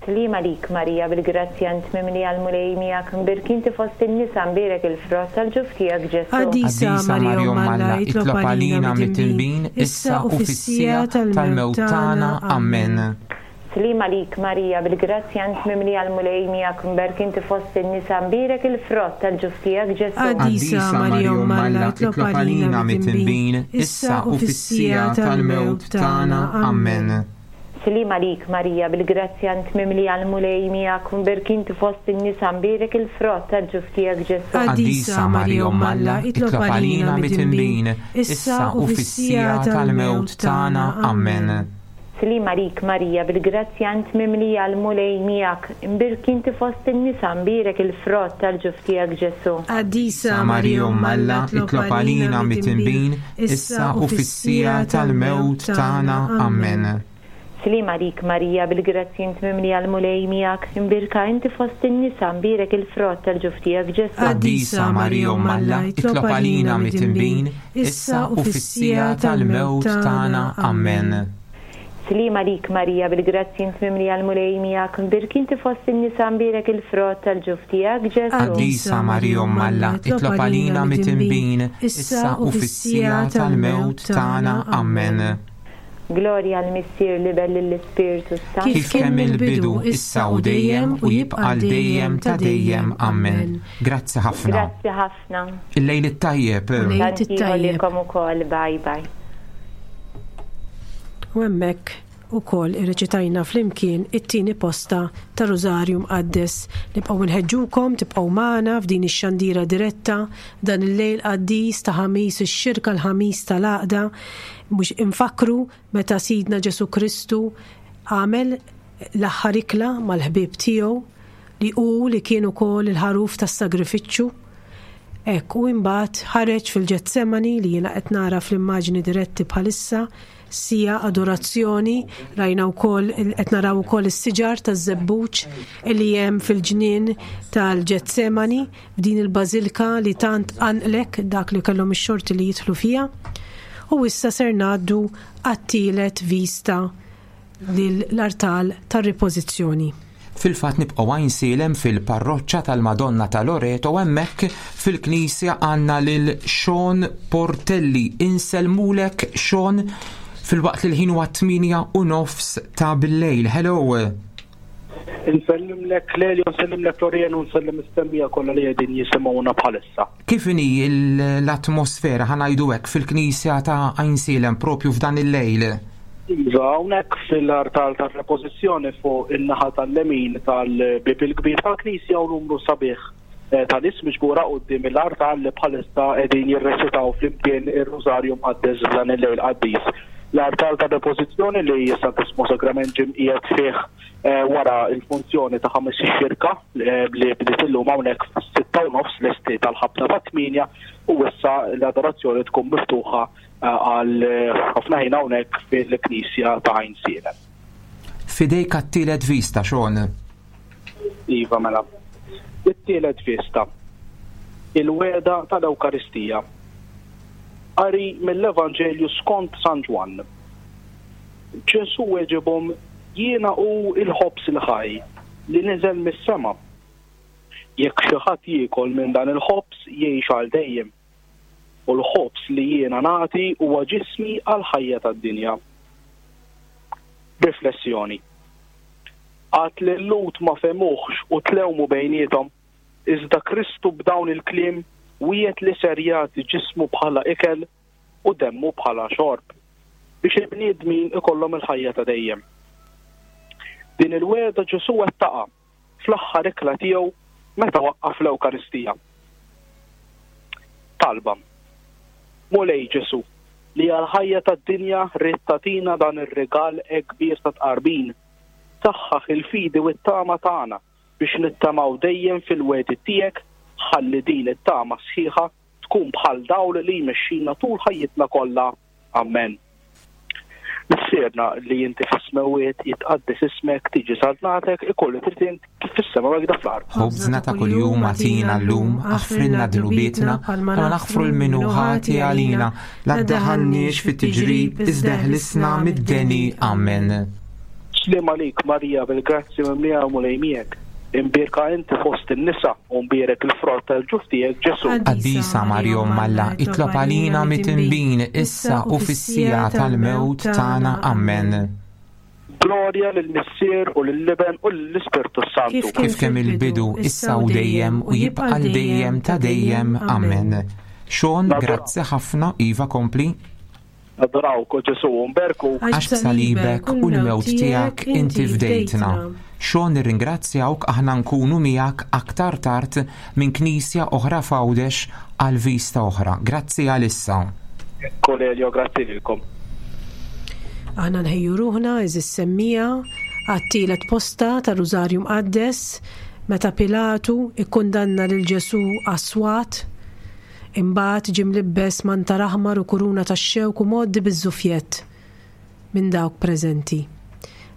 D: Sliem għalik Marija bil-grazzja int mimlija l-Mulej miegħek mbierk inti fost in-nisa mbierek il-frott tal-ġuf tiegħek Ġesù.
B: Qaddisa Marija Omm Alla itlob għalina mitinbin issa u fis-siegħa tal-mewt tagħna. Ammen.
D: Sliem għalik Marija bil-grazzja int mimlija l-Mulej miegħek mberk inti fost in-nisa mbierek il-frott tal-ġuf tiegħek Ġesù.
B: Qaddisa Marija Omm Alla itlob għalina mitinbin issa u fis-siegħa tal-mewt tagħna. Ammen.
D: Sliem għalik Marija bil-grazzja int mimlija l-Mulej miegħek mbierk inti fost in-nisa mbierek il-frott tal-ġuf tiegħek Ġesù.
B: Qaddisa Marija Omm Alla itlob għalina mitinbin issa u fis-siegħa tal-mewt tagħna. Ammen.
D: Sliem għalik Marija bil-grazzja int mimlija l-Mulej miegħek mbierk inti fost in-nisa mbierek il-frott tal-ġuf tiegħek Ġesù.
C: Qaddisa
B: Marija Omm Alla itlob għalina mitinbin issa u fis-siegħa tal-mewt tagħna. Ammen.
D: Sliem għalik Marija, bil-grazzji int mimlija l-Mulej miegħek, imbierka inti fost in-nisa, mbierek il-frott tal-ġuf tiegħek Ġesù.
B: Qaddisa Marija Omm Alla, itlob għalina midinbin, issa u fis-siegħa tal-mewt tagħna. Ammen.
D: Sliem għalik Marija, bil-grazzji int mimlija l-Mulej miegħek, mbierk inti fost in-nisa, mbierek il-frott tal-ġuf tiegħek Ġesù.
B: Qaddisa Marija Omm Alla, itlob għalina midinbin, issa u fis-siegħa tal-mewt tagħna. Ammen.
D: Glorja għall-Missier, l-Iben, lill-Ispirtu s-Santu.
B: Kif kien mill-bidu, issa u dejjem, u jibqa' għal dejjem ta' dejjem. Ammen. Grazzi ħafna.
D: Grazzi ħafna.
B: Il-lejl it-tajjeb.
C: Lejl it-tajjeb.
D: Lilkom ukoll. Bye bye.
C: U hemmhekk ukoll irreċitajna flimkien it-tieni posta ta' Rużarju Mqaddes. Nibqgħu nħeġġukom tibqgħu magħna f'din ix-xandira diretta dan il-lejl qaddis ta' Ħamis ix-Xirka l-Ħamis tal-Għaqda Mhux infakkru meta Sidna Ġesù Kristu għamel l-aħħar ikla mal-ħbieb tiegħu li hu li kien ukoll il-ħaruf tas-sagrifiċċju. Hekk u imbagħad ħareġ fil-Ġetsemani li jiena qed nara fl-immaġni diretti bħalissa sija adorazzjoni, rajna wkoll qed naraw ukoll is-siġar taż-żebbuġ li hemm fil-ġnien tal-Ġetsemani f'din il-bażilka li tant qanqlek dak li kellhom ix-xorti li jidħlu fiha. U issa ser ngħaddu għat-tielet vista lill-artal tar-ripożizzjoni.
B: Fil-fatt nibqgħu Għajnsielem fil-parroċċa tal-Madonna ta' Loreto hemmhekk fil-knisja għandna lil Sean Portelli. Insellmulek Sean filwaqt li l-ħin huwa 8:30 ta' billejl. Hello.
H: Insellimlek Lelio, nsellimlek Florian u nsellem is-semmija kollha li qegħdin jisimgħuna bħalissa.
B: Kif inhi l-atmosfera ħa ngħidu hekk fil-knisja ta' Għajnsielem propju f'dan il-lejl?
H: Iva, hawnhekk fil-artal tar-repożizzjoni fuq in-naħa tal-lemin tal-bieb il-kbir tal-knisja u numru sabiħ eh, ta' nies miġbura quddiem il-artal li bħalissa qegħdin jirreċitaw flimkien ir-Rużarju Mqaddes f'dan il-lejl qaddis. L-artal ta' depożizzjoni li s-Santissmu Sagrament ġie mqiegħed fih eh, wara l-funzjoni ta' ħames xirka eh, li bdiet illum hawnhekk fis-6 u nofs lesti tal-ħabta ta' 8 u issa l-adorazzjoni tkun miftuħa eh, għal ħafna ħin hawnhekk fil-Knisja ta' Għajnsielem.
B: Fidejk għat-tielet vista, Sean.
H: Iva mela. It-tielet vista. Il-wegħda tal-Ewkaristija. Qari mill-Evanġelju skont San Ġwann. Ġesù weġibhom, Jiena hu l-ħobż il-ħaj li niżel mis-sema. Jekk xi ħadd jiekol minn dan il-ħobż jgħix għal dejjem. U l-ħobż li jiena nagħti huwa ġismi għall-ħajja tad-dinja. Riflessjoni. Għad li l-Lhud ma fehmuhx u tlewmu bejniethom, iżda Kristu b'dawn il-kliem wiegħed li ser jagħti ġismu bħala ikel u demmu bħala xorb, biex il-bniedmin ikollhom il-ħajja ta' dejjem. Din il-wegħda Ġesù wettaqha fl-aħħar ikla tiegħu meta waqqaf l-Ewkaristija. Talba. Mulej Ġesù, li għall-ħajja tad-dinja ridt tagħtina dan ir-rigal hekk kbir ta' tqarbin, saħħaħ il-fidi u t-tama tagħna biex nittamaw dejjem fil-wegħdiet tiegħek ħalli din it-tama sħiħa tkun bħal dawl li jmexxina tul ħajjitna kollha. Ammen. Missierna li inti fis-smewwiet, jitqaddes ismek, tiġi saltnatek, ikun li trid int kif fis-sema u hekk fl-art.
B: Ħobżna ta' kuljum agħtina llum, aħfrilna dnubietna, bħalma naħfru 'l min hu ħati għalina, la ddaħħalniex fit-tiġrib, iżda eħlisna mid-deni. Ammen.
H: Sliem għalik Marija bil-grazzja mimlija l-Mulej miegħek. Imbierka inti fost in-nisa u mbierek il-frott tal-ġuf tiegħek Ġesù.
B: Qaddisa Marija Omm Alla, itlob għalina mitinbin issa u fis-siegħa tal-mewt tagħna. Ammen.
H: Glorja lill-Missier u lill-Iben u lill-Ispirtu s-Santu.
B: Kif kemm il-bidu, issa u dejjem u jibqa' għal dejjem ta' dejjem. Ammen. Sean, grazzi ħafna, Iva kompli.
H: Nadurawk, o Ġesù, u nberkuk.
B: Għax b'salibek u l-mewt tiegħek inti fdejtna. Sean nirringrazzjawk aħna nkunu miegħek aktar tard minn knisja oħra f'Għawdex għal vista oħra. Grazzi għalissa.
H: Cornelio, grazzi lilkom.
C: Aħna nħejju ruħna, għeżież semmiegħa, għat-tielet posta tar-Rużarju Mqaddes, meta Pilatu ikkundanna lil Ġesù għas-swat. Imbagħad ġie mlibbes mantar aħmar u kuruna tax-xewk u mgħoddi biż-żufjett minn dawk preżenti.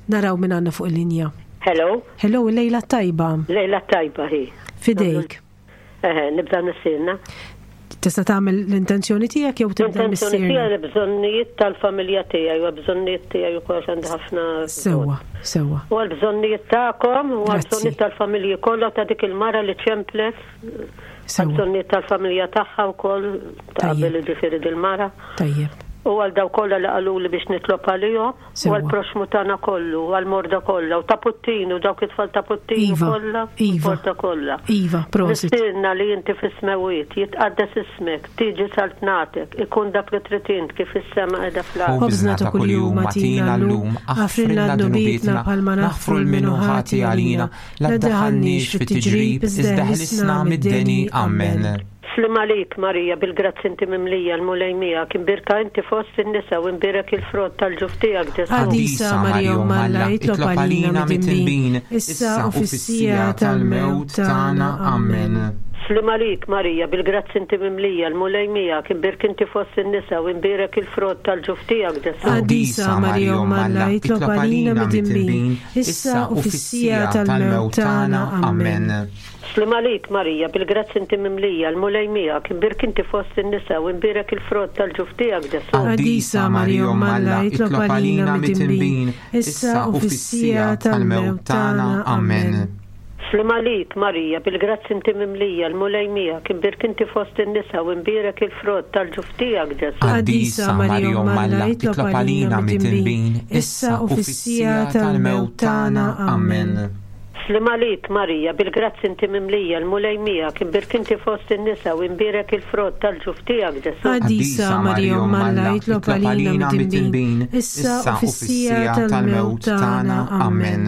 C: Naraw min għandna fuq il-linja.
E: Hello.
C: Hello, lejla tajba.
E: Lejla tajba hi.
C: Fidejk.
E: Eħe, nibda missierna.
C: Tista' tagħmel l-intenzjoni tiegħek jew tibda
E: L-intenzjoni
C: missierna?
E: tiegħi l-bżonnijiet tal-familja tiegħi u bżonnijiet tiegħi wkoll għandi ħafna.
C: Sewwa, sewwa.
E: U għall-bżonnijiet tagħkom u
C: Grazzi.
E: għall-bżonnijiet tal-familji kollha ta' dik il-mara li ċemplet.
C: Sewwa.
E: Għall-bżonnijiet tal-familja tagħha wkoll ta' qabel ġifieri dil-mara.
C: Tajjeb.
E: U għal daw kollha li qaluli biex nitlob għalihom, u
C: Sewwa.
E: għal proxmu tagħna kollu, u għal morda kollha, u ta' Puttinu, dawk it-tfal ta' Puttinu
C: Iva,
E: kollha, u
C: iva.
E: l-porta kollha.
C: Iva, prosit.
E: Missierna li inti fis-smewwiet, jitqaddes ismek, tiġi saltnatek, ikun dak li trid int kif is-sema qiegħda fl-art.
B: Ħobżna ta' kuljum agħtina llum, aħfrilna dnubietna bħalma naħfru 'l min hu ħati għalina, la ddaħħalniex fit-tiġrib, iżda ħlisna mid-deni. Amen.
E: Slim għalik, Marija, bil-grazzi inti mimlija, l-Mulej miegħek, imbierka inti fost in-nisa u imbierek il-frott tal-ġuf tiegħek, Ġesù.
C: Qaddisa Marija Omm Alla, itlob għalina midinbin, issa u fis-siegħa tal-mewt tagħna. Amen.
E: Slim għalik, Marija, bil-grazzi inti mimlija, l-Mulej miegħek, imbierk inti fost in-nisa u imbierek il-frott tal-ġuf tiegħek, Ġesù.
C: Qaddisa Marija Omm Alla, itlob għalina midinbin, issa u fis-siegħa tal-mewt tagħna. Amen.
E: Slim għalik, Marija, bil-grazzi inti mimlija, l-Mulej miegħek, imbierk inti fost in-nisa u imbierek il-frott tal-ġuf tiegħek, Ġesù.
C: Qaddisa Marija Omm Alla, itlob għalina midinbin, issa u fis-siegħa tal-mewt tagħna.
B: Amen.
E: Slim għalik, Marija, bil-grazzi inti mimlija, l-Mulej miegħek, imbierk inti fost in-nisa u imbierek il-frott tal-ġuf tiegħek, Ġesù.
B: Qaddisa Marija Omm Alla, itlob għalina midinbin, issa u fis-siegħa tal-mewt tagħna. Amen.
E: Slim għalik, Marija, bil-grazzi inti mimlija, l-Mulej miegħek, imbierk inti fost in-nisa u imbierek il-frott tal-ġuf tiegħek, Ġesù.
C: Qaddisa Marija Omm Alla, itlob għalina midinbin, issa u fis-siegħa tal-mewt tagħna.
B: Amen.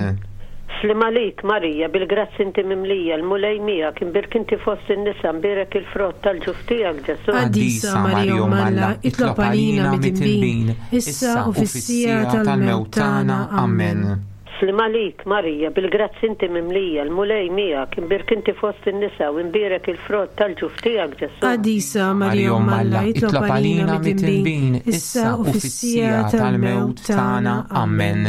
E: Slim għalik, Marija, bil-grazzi inti mimlija, l-Mulej miegħek, imbierk inti fost in-nisa, imbierek il-frott tal-ġuf tiegħek, Ġesù.
C: Qaddisa Marija Omm Alla, itlob għalina midinbin, issa u fis-siegħa tal-mewt tagħna.
B: Amen.
E: Slim għalik, Marija, bil-grazzi inti mimlija, l-Mulej miegħek, imbierk inti fost in-nisa u imbierek il-frott tal-ġuf tiegħek, Ġesù.
C: Qaddisa Marija Omm Alla, itlob għalina midinbin, issa u fis-siegħa tal-mewt tagħna.
B: Amen.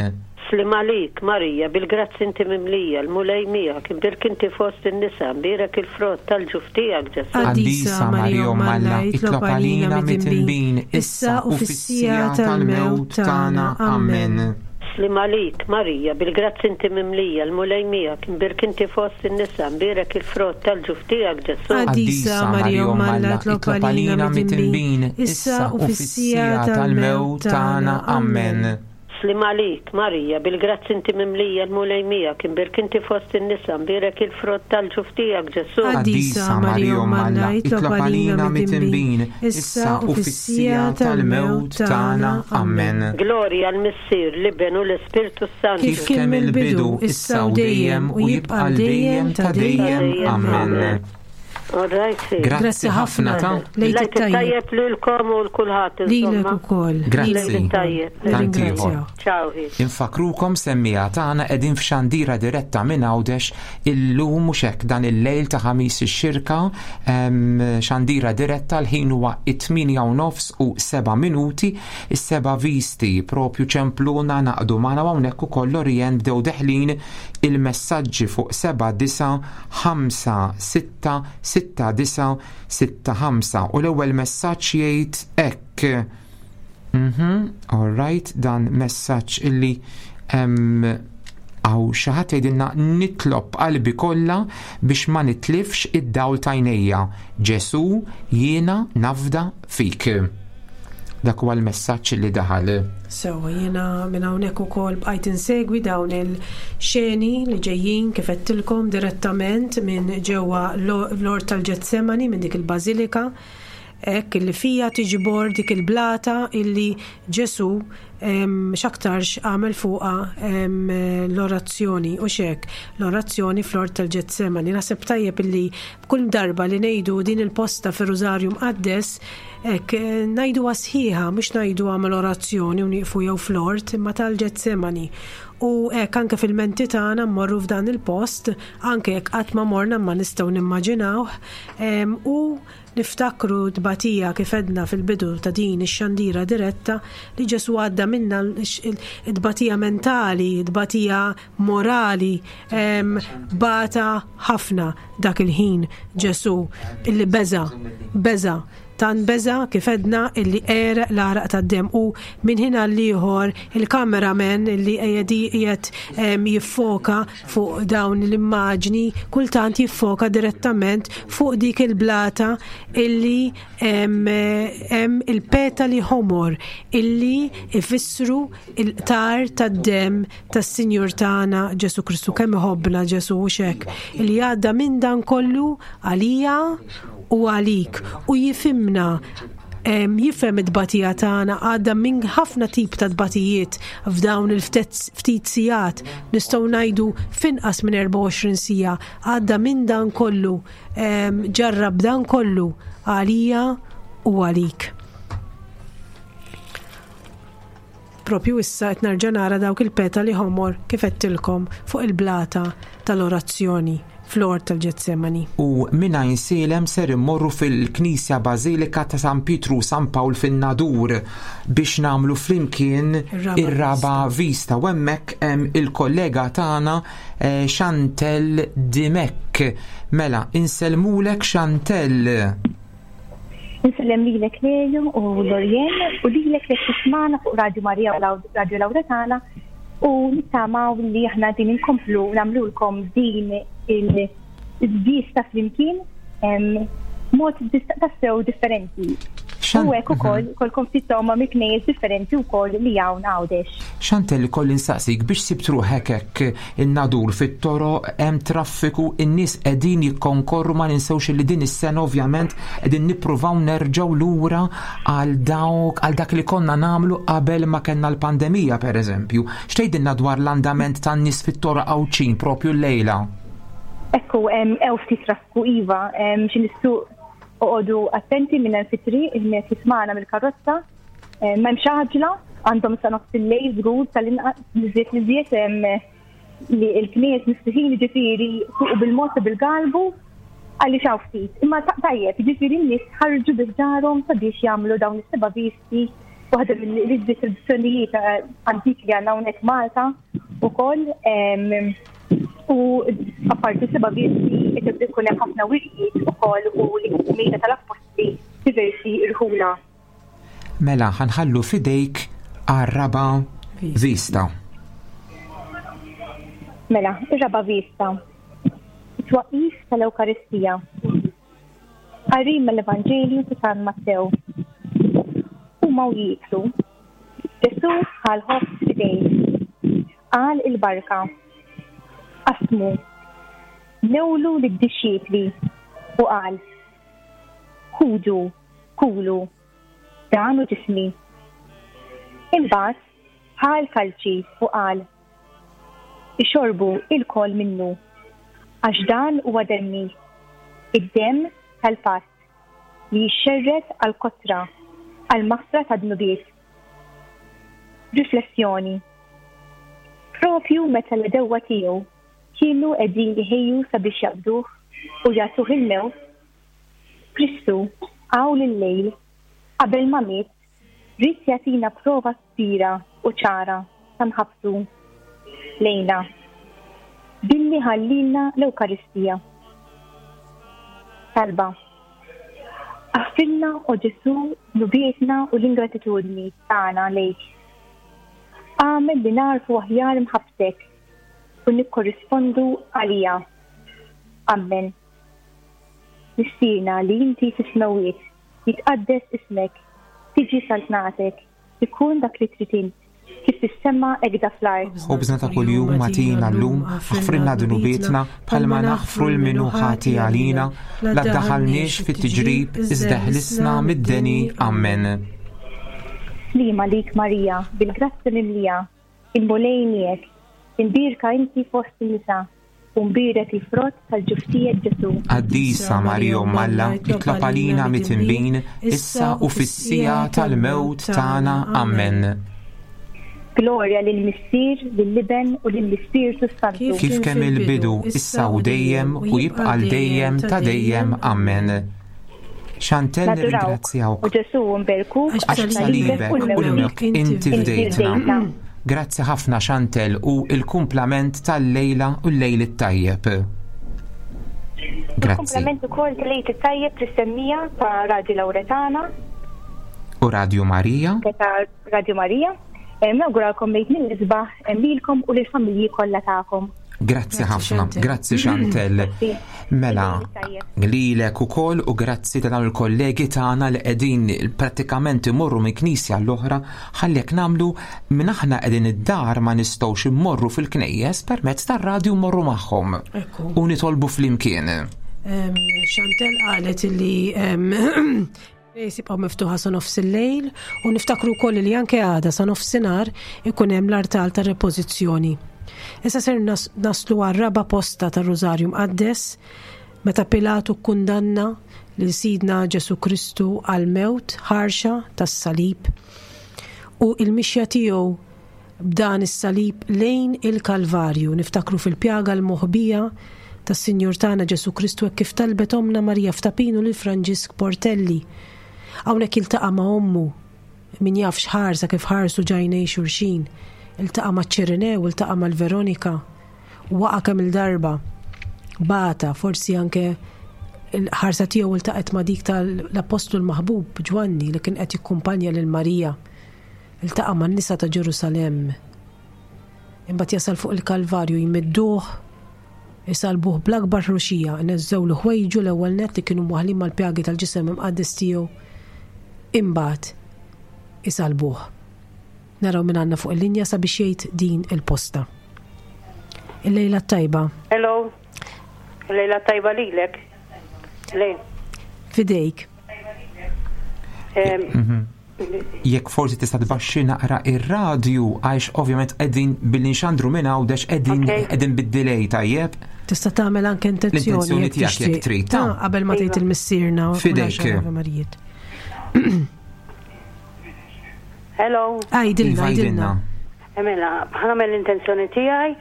E: Slim għalik, Marija, bil-grazzi inti mimlija, l-Mulej miegħek, imbierk inti fost in-nisa, imbierek il-frott tal-ġuf tiegħek, Ġesù.
B: Qaddisa Marija Omm Alla, itlob għalina midinbin, issa u fis-siegħa tal-mewt tagħna. Amen.
E: Slim għalik, Marija, bil-grazzi inti mimlija, l-Mulej miegħek, imbierk inti fost in-nisa, imbierek il-frott tal-ġuf tiegħek, Ġesù.
C: Qaddisa Marija Omm Alla, itlob għalina midinbin, issa u fis-siegħa tal-mewt tagħna.
B: Amen.
E: Slim għalik, Marija, bil-grazzi inti mimlija, l-Mulej miegħek, imbierk inti fost in-nisa, imbierek il-frott tal-ġuf tiegħek, Ġesù.
C: Qaddisa Marija Omm Alla, itlob għalina midinbin, issa u fis-siegħa tal-mewt tagħna.
B: Amen.
E: Glorja l-Missier, l-Iben u l-Ispirtu Santu.
B: Kif kien mill-bidu, issa u dejjem, u jibqa' dejjem ta' dejjem. Amen.
E: All right, si.
B: Grazzi ħafna ta'
C: Lejt
E: Lejt
C: it-tajjeb.
E: tajjeb lilkom u l-kulħadd
C: Lilek
E: insomma.
C: ukoll.
B: Grazzi.
E: Lejl it-tajjeb.
B: Tant ieħor.
C: Nirringrazzjaw.
E: Ciao. hi.
B: Infakrukom semmija tagħna qegħdin f'xandira diretta minn Għawdex illum mhux hekk dan il-lejl ta' ħamis ix-xirka xandira diretta l-ħin huwa it-8 u nofs u 7 minuti is-seba' visti propju ċempluna naqdu magħna hawnhekk ukoll Lorien bdew deħlin il-messaġġi fuq 7 9 5 6 6 9 6 5 u l-ewwel messaġġ jgħid hekk. All right, dan messaġġ illi għaw xaħat jgħidilna nitlob qalbi kollha biex ma nitlifx id-dawl tajnejja. Ġesu jiena nafda fik. Dak huwa l-messaġġ li daħal.
C: Sewa, jiena minn hawnhekk ukoll bqajt insegwi dawn il-xeni li ġejjin kif għedtilkom direttament minn ġewwa l-Ort tal-Ġetsemani minn dik il-Bażilika hekk illi fija tiġbor dik il-blata illi Ġesu x'aktarx għamel fuqha l-orazzjoni u xek l-orazzjoni fl-Ort tal-Ġetsemani. Naħseb tajjeb illi kull darba li ngħidu din il-posta fir-Rużarju Mqaddes hekk ngħiduha sħiħa mhux ngħidu għamel orazzjoni u nieqfu jew fl-ort imma tal-Ġetsemani. U hekk anke fil-menti tagħna mmorru f'dan il-post, anke jekk qatt ma morna ma nistgħu nimmaġinawh, u niftakru tbatija kif għedna fil-bidu ta' din ix-xandira diretta li Ġesù għadda minna tbatija mentali, tbatija morali, bata ħafna dak il-ħin Ġesù illi beża, beża Tant beża' kif għedna illi għereq l-għaraq tad-demm u minn ħin għall-ieħor il-cameraman illi qiegħed jiffoka fuq dawn l-immaġni kultant jiffoka direttament fuq dik il-blata illi hemm il-petali ħomor illi ifissru il-qtar tad-demm tas-Sinjur tagħna Ġesù Kristu. Kemm iħobbna Ġesù hux hekk? Illi għadda minn dan kollu għalija u għalik u jifhimna jifhem it-tbatija tagħna għadda minn ħafna tip ta' tbatijiet f'dawn il-ftit sigħat nistgħu ngħidu f'inqas minn 24 siegħa għadda minn dan kollu ġarrab dan kollu għalija u għalik. Propju issa qed nerġa' nara dawk il-petali ħomor kif għedtilkom fuq il-blata tal-orazzjoni fl-Ort tal-Ġetsemani.
B: U minn Għajnsielem ser immorru fil-Knisja Bażilika ta' San Pietru u San Pawl fin-Nadur biex nagħmlu flimkien ir-raba' vista u hemmhekk hemm il-kollega tagħna eh, Chantel Dimech. Mela, insellmulek Chantel.
I: Insellem lilek Leo u Lorien u lilek li tismana fuq Radio Maria u Radio Lauretana u nittamaw li aħna din inkomplu nagħmlulkom din il-vista flimkien mod tassew differenti. U hekk ukoll mhm. kolkom ftit toma mill-knejjes differenti wkoll li hawn Għawdex.
B: Xantel kolli nsaqsik biex sibt ruħek hekk in-Nadur fit-toroq hemm traffiku, in-nies qegħdin jikkonkorru ma ninsewx li din is-sena ovvjament qegħdin nippruvaw nerġgħu lura għal dawk għal dak li konna nagħmlu qabel ma kellna l-pandemija pereżempju. X'tgħidilna dwar l-andament tan-nies fit-toroq Għawdxin propju llejla?
I: Ekku, hemm ftit traffiku iva, xi nissuq oqogħdu attenti minn hemm fit-triq, min qed jismagħna mill-karozza. Eh, m'hemmx għaġla, għandhom sa nofs il-lejl żgur tal-inqas li żied li l-knies miftuħin ġifieri fuq bil-mod u bil-galbu għaliex hawn ftit. Imma tajjeb, ġifieri n-nies ħarġu biħġarhom sabiex jagħmlu dawn is-seba' visti, waħda mill-iżjed tradizzjonijiet eh, antiki li għandna hawnhekk Malta ukoll. U apparti seba' visti qed ikun hemm ħafna wirjiet ukoll u l-mejda tal-appostli diversi rħula.
B: Mela ħa nħallu f'idejk għar-raba' vista.
I: Mela, ir-raba' vista. It-twaqqif tal-Ewkaristija. Qari mill-Evanġelju ta' San Mattew. Huma u jieklu, Ġesù ħa l-ħobż f'idejh, qal il-barka, qasmu, newlu lid-dixxipli u qal, Ħudu, Kulu, dan hu ġismi. Imbagħad ħa l-kalċi u qal, Ixorbu ilkoll minnu, għax dan huwa demmi, id-demm tal-patt, li jixxerred għall-kotra, għall-maħfra tad-dnubiet. Riflessjoni, Propju meta l-għedewwa tiegħu kienu qegħdin iħejju sabiex jaqbduh u jagħtuh il-mewt, Kristu, hawn illejl, qabel ma miet, ried jagħtina prova kbira u ċara ta' mħabbtu lejna billi ħallielna l-Ewkaristija. Talba, Aħfrilna, o Ġesù, dnubietna u l-ingratitudni tagħna lejk. Agħmel li nagħrfu aħjar mħabbtek u nikkorrispondu għaliha. Ammen. Missierna li inti fis-smewwiet, jitqaddes ismek, tiġi saltnatek, ikun dak li trid int, kif fis-sema hekk da fl-art.
B: Ħobżna ta' kuljum agħtina llum, aħfrilna dnubietna bħalma naħfru 'l min hu ħati għalina, la ddaħħalniex fit-tiġrib, iżda eħlisna mid-deni. Ammen.
I: Sliema lik Marija, bil-grazzja mimlija, Il-Mulej miegħek, imbierka inti fost in-nisa, u mbierek il-frott tal-ġuf tiegħek Ġesù.
B: Qaddisa Marija Omm Alla, itlob għalina mitinbin, issa u fis-siegħa tal-mewt tagħna. Ammen.
I: Glorja lill-Missier, lill-Iben u lill-Ispirtu s-Santu.
B: Kif kemm il-bidu, issa u dejjem, u jibqa' għal dejjem ta' dejjem. Amen. Chantel nirringrazzjawk.
I: U Ġesù nberkuk
B: għax b'salibek u l-mewt inti fdejtna. Grazzi ħafna Chantel u l-kumplament tal-lejla u l-lejl it-tajjeb.
I: Grazzi. Kumplament ukoll tal-lejl it-tajjeb lis-semmija ta' Radio Lauretana.
B: U Radio Marija.
I: Radio Marija. Nawguralkom lejt mill-isbaħ lilkom u lill-familji kollha tagħkom.
B: Grazzi ħafna, grazzi Chantel. Mela, lilek ukoll u grazzi ta' dawn il-kollegi tagħna li qegħdin prattikament imorru minn knisja l-oħra ħalli jekk nagħmlu minn aħna qegħdin id-dar ma nistgħux immorru fil-knejjes permezz tar-radju mmorru magħhom u nitolbu flimkien.
C: Chantel qalet li Rejs jibqgħu miftuħa sa nofs il-lejl u niftakru wkoll li anke għada sa nofsinhar ikun hemm l-artal ta' repożizzjoni. Issa ser naslu għar-raba' posta tar-Rużarju Mqaddes meta Pilatu kkundanna lil Sidna Ġesu Kristu għal mewt ħarxa tas-salib u il-mixja tiegħu B'dan is-salib lejn il-Kalvarju, niftakru fil-pjaga l-moħbija tas-Sinjur tagħna Ġesù Kristu hekk kif talbet Ommna Marija f'Tapinu lil Franġisk Portelli. Hawnhekk jiltaqa' ma' ommu, min jaf x'ħarsa kif ħarsu ġajnej xulxin. Iltaqa' maċ-Ċirinew, iltaqa' mal-Veronika. Waqa' kemm-il darba. Bata, forsi anke l-ħarsa tiegħu iltaqgħet ma' dik tal-Appostlu l-maħbub Ġwanni li kien qed jikkumpanja lil Marija. Iltaqa' man-nisa ta' Ġerusalemm. Imbagħad jasal fuq il-Kalvarju jmidduh, isallbuh bl-akbar ħruxija, ineżżewlu ħwejġu l-ewwel nett li kienu mwaħħlin mal-pjagi tal-ġisem imqaddes tiegħu, imbagħad isallbuh. Naraw min għandna fuq il-linja sabiex jgħid din il-posta. Il-lejla t-tajba.
J: Hello. Il-lejla t-tajba lilek. Lejn.
C: Fidejk.
B: Mhm. Jekk forsi tista' tbaxxi naqra ir-radju għax ovvjament qegħdin billi nxandru minn Għawdex qegħdin qegħdin bid-delay tajjeb.
C: Tista' tagħmel anke intenzjoni
B: L-intenzjoni tiegħek jekk trid.
C: Ta' qabel ma tgħid il-missierna. u
B: Fidejk.
C: l-għaxar Ave Marijiet.
J: Hello.
C: Għidilna,
B: Iva,
C: għidilna.
J: Mela, ħanamel l-intenzjoni tiegħi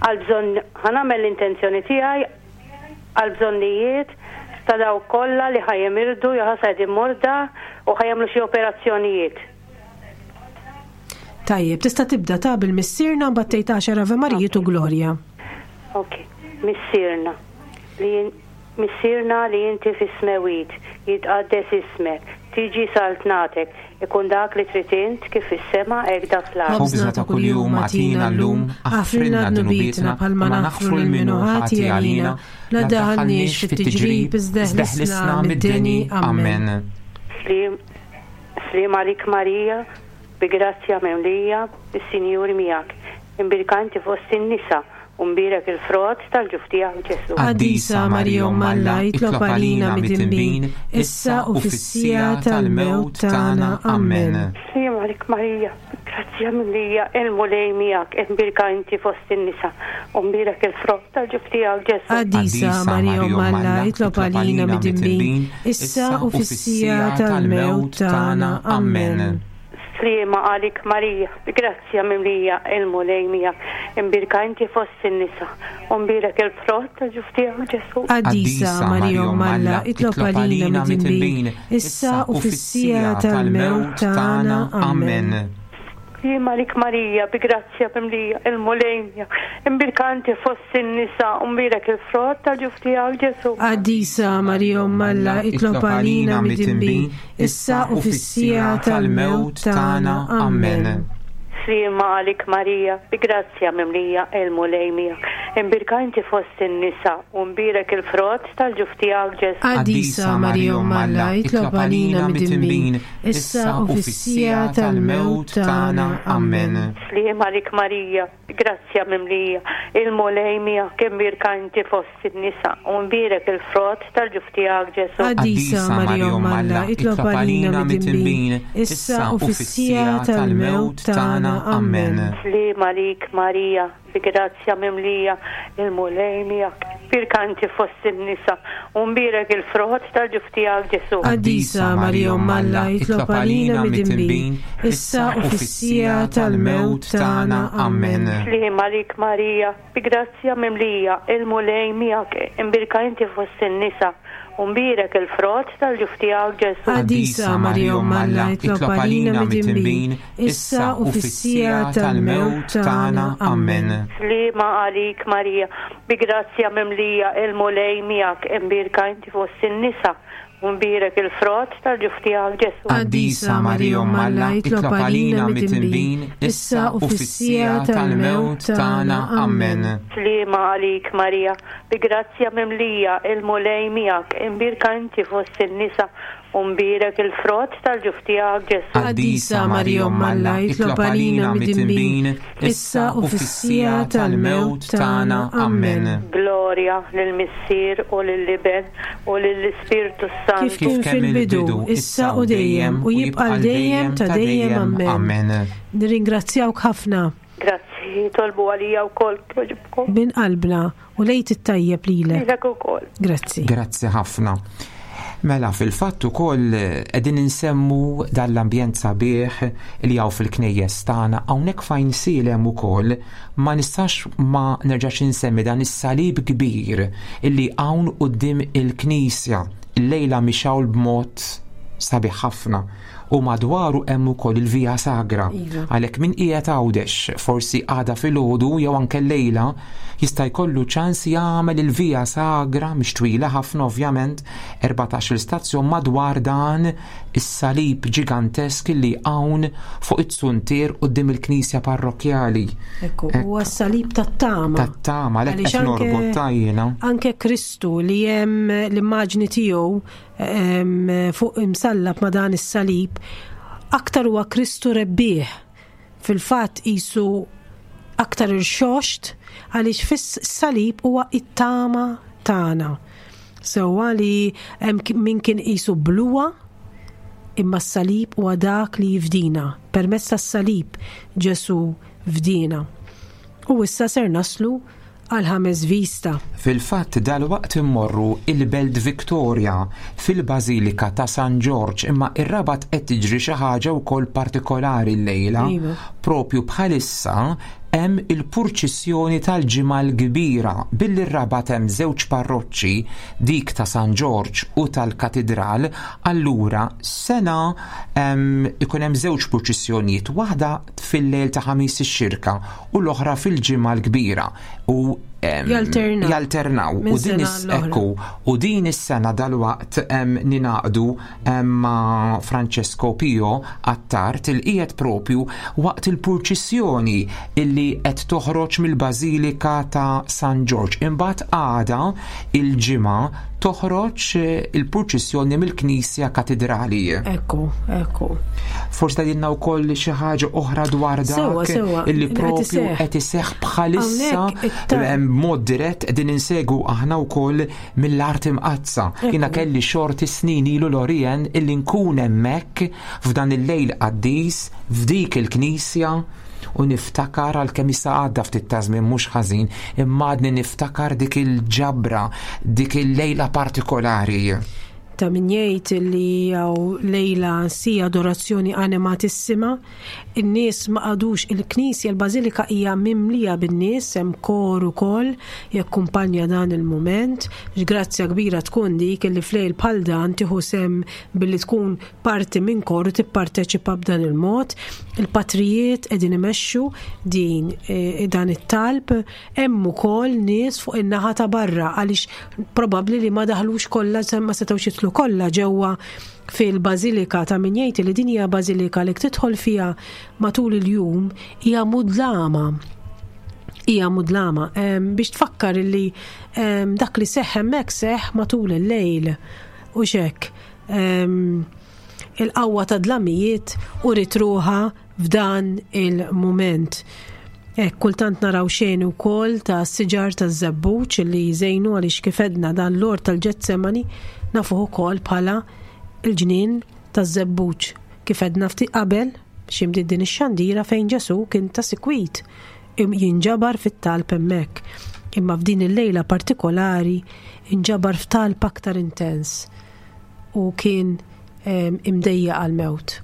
J: għal bżonn ħanamel l-intenzjoni tiegħi għal bżonnijiet ta' dawk kollha li ħa jemirdu jew ħa qegħdin morda u ħa jagħmlu xi operazzjonijiet.
C: Tajjeb, tista' tibda ta' bil-Missierna mbagħad tgħid għaxar Ave Marijiet u Glorja.
J: Ok. Missierna li Missierna li inti fis-smewwiet, jitqaddes ismek, tiġi saltnatek, Ikun dak li trid int, kif fis-sema hekk da fl-art.
B: Ħobżna ta' kuljum agħtina llum, aħfrilna dnubietna bħalma naħfru lil min hu ħati għalina, la ddaħħalniex fit-tiġrib iżda eħlisna mid-deni. Amen.
J: Sliem, sliem għalik Marija, bi grazzja mimlija, is-Sinjur miegħek. Imbierka inti fost in-nisa, U mbierek il-frott tal-ġuf tiegħek, Ġesù.
C: Qaddisa Marija Omm Alla, itlob għalina midinbin, issa u fis-siegħa tal-mewt tagħna. Amen.
J: Sliem għalik Marija, grazzja mimlija, il-Mulej miegħek, imbierka inti fost in-nisa, u mbierek il-frott tal-ġuf tiegħek, Ġesù.
C: Qaddisa Marija Omm Alla, itlob għalina midinbin, issa u fis-siegħa tal-mewt tagħna. Amen.
J: Sliema għalik Marija, grazzja mimlija, il-Mulej miegħek, imbierka inti fost in-nisa, u mbierek il-frott tal-ġuf tiegħek Ġesù.
C: Qaddisa Marija Omm Alla, itlob għalina midinbin, issa u fis-siegħa tal-mewt tagħna. Amen.
J: Sliema għalik Marija, bi grazzja mimlija, il-Mulej miegħek, imbierka inti fost in-nisa, u mbierek il-frott tal-ġuf tiegħek Ġesù.
C: Qaddisa Marija Omm Alla, itlob għalina midinbin, issa u fis-siegħa tal-mewt tagħna. Amen.
J: Sliema għalik Marija, bi grazzja mimlija, il-Mulej miegħek. Imbierka inti fost in-nisa, u mbierek il-frott tal-ġuf tiegħek Ġesù.
C: Qaddisa Marija Omm Alla, itlob għalina midinbin, issa u fis-siegħa tal-mewt tagħna. Amen.
J: Sliema għalik Marija, bi grazzja mimlija, il-Mulej miegħek, imbierka inti fost in-nisa, u mbierek il-frott tal-ġuf tiegħek Ġesù.
C: Qaddisa Marija Omm Alla, itlob għalina midinbin, issa u fis-siegħa tal-mewt tagħna.
B: Amen.
J: Sliem għalik Marija, bi grazzja mimlija, il-Mulej miegħek. Imbierka inti fost in-nisa, u mbierek il-frott tal-ġuf tiegħek Ġesù.
C: Qaddisa Marija Omm Alla, itlob għalina midinbin, issa u fis-siegħa tal-mewt tagħna. Amen.
J: Sliem għalik Marija, bi grazzja mimlija, il-Mulej miegħek, imbierka inti fost in-nisa, u mbierek il-frott tal-ġuf tiegħek Ġesù.
C: Qaddisa Marija Omm Alla, itlob għalina midinbin, issa u fis-siegħa tal-mewt tagħna.
B: Amen.
J: Sliema għalik Marija, bi grazzja mimlija, il-Mulej miegħek, imbierka inti fost in-nisa, u mbierek il-frott tal-ġuf tiegħek Ġesù.
B: Qaddisa Marija Omm Alla, itlob għalina midinbin, issa u fis-siegħa tal-mewt tagħna. Amen.
J: Sliema għalik Marija, bi grazzja mimlija, il-Mulej miegħek, imbierka inti fost in-nisa, u mbierek il-frott tal-ġuf tiegħek Ġesù.
B: Qaddisa Marija Omm Alla, itlob għalina midinbin, issa u fis-siegħa tal-mewt tagħna. Amen.
J: Glorja lill-Missier u lill-Iben u lill-Ispirtu s-Santu.
C: Kif kien fil-bidu, issa u dejjem, u jibqa' għal dejjem ta' dejjem. Amen. Nirringrazzjawk ħafna.
J: Grazzi, tolbu għalija wkoll kjoġibkom.
C: Minn qalbna u l-Għid it-tajjeb lilek.
J: Lilek ukoll.
C: Grazzi.
B: Grazzi ħafna. Mela fil-fatt ukoll qegħdin insemmu dan l-ambjent sabiħ li hawn fil-knejjes tagħna hawnhekk fejn sielem ukoll ma nistax ma nerġax insemmi dan is-salib kbir illi hawn quddiem il-knisja. Illejla mixgħul b'mod sabiħ ħafna u madwaru hemm ukoll il-Via Sagra.
C: Iva.
B: Għalhekk min qiegħed Għawdex, forsi għada filgħodu jew anke llejla, jista' jkollu ċans jagħmel il-Via Sagra mhix twila ħafna ovvjament, 14-il stazzjon madwar dan is-salib ġigantesk li hawn fuq it-suntier quddiem il-knisja parrokkjali.
C: Ekku, huwa s-salib tat-tama.
B: Tat-tama, għalhekk qed norbot ta' jiena.
C: Anke Kristu li hemm l-immaġni tiegħu fuq imsallab ma' dan is-salib, aktar huwa Kristu rebbieħ. Fil-fatt qisu aktar irxoxt għaliex fis-salib huwa it-tama tagħna. Sewwa li hemm min kien qisu bluha, imma s-salib huwa dak li jifdina. Permezz tas-salib Ġesù fdiena. U issa ser naslu għall-ħames vista.
B: Fil-fatt dalwaqt immorru il-Belt Victoria fil-Bażilika ta' San Ġorġ imma ir-Rabat qed tiġri xi ħaġa wkoll partikolari llejla.
C: Iva.
B: Propju bħalissa hemm il-purċissjoni tal-Ġimgħa l-Kbira. Billi r-Rabat hemm żewġ parroċċi, dik ta' San Ġorġ u tal-Katidral, allura sena ikun hemm żewġ purċissjonijiet, waħda fil-lejl ta' Ħamis ix-Xirka u l-oħra fil-Ġimgħa l-Kbira u
C: Jalternaw.
B: Jalternaw.
C: Minn
B: U din
C: sena
B: is-
C: għall-oħra.
B: ekku, u din is-sena dalwaqt ninaqdu ma' Francesco Pio Attard il qiegħed propju waqt il-purċissjoni illi qed toħroġ mill-Bażilika ta' San Ġorġ. Imbagħad għada il-Ġimgħa toħroġ il-purċissjoni mill-Knisja Katidrali.
C: Ekku, ekku.
B: Forsi tgħidilna wkoll xi ħaġa oħra dwar dak
C: Sewwa, sewwa,
B: illi
C: qed
B: propju
C: iseħħ.
B: qed iseħħ bħalissa
C: Hawnhekk it-ta-
B: b'mod dirett qegħdin insegwu aħna wkoll mill-art imqaddsa. Jiena kelli xorti snin ilu l-Orien illi nkun hemmhekk f'dan il-lejl qaddis f'dik il-knisja u niftakar għalkemm issa għadda ftit ta' żmien mhux ħażin, imma għadni niftakar dik il-ġabra, dik il-lejla partikolari.
C: Ta' min jgħid li hawn lejla si adorazzjoni animatissima, in-nies ma qagħdux il-knisja, il-bażilika hija mimlija bin-nies, hemm kor ukoll jakkumpanja dan il-mument. X'grazzja kbira tkun dik illi f'lejl bħal dan tieħu sehem billi tkun parti minn kor u tipparteċipa b'dan il-mod. Il-patrijiet qegħdin imexxu din e, dan it-talb, hemm ukoll nies fuq in-naħa ta' barra għaliex probabbli li ma daħlux kollha ma setgħux jidħlu kollha ġewwa fil-bażilika ta' min jgħid li din hija bażilika li tidħol fiha matul il-jum hija mudlama. Hija mudlama biex tfakkar li dak li seħħ hemmhekk seħħ matul il-lejl u xek. Il-qawwa ta' dlamijiet u ritruħa f'dan il-mument. Hekk kultant naraw xeni wkoll ta' siġar ta' żebbuġ li jżejnu għaliex kif għedna dan l-ort tal-Ġetsemani nafuh ukoll bħala l-ġnien taż-żebbuġ. Kif għedna ftit qabel. Xi din ix-xandira fejn Ġesù kien ta' sikwit jinġabar fit-talb hemmhekk. Imma f'din il-lejla partikolari inġabar f'talb aktar intens u kien imdejjaq għall-mewt.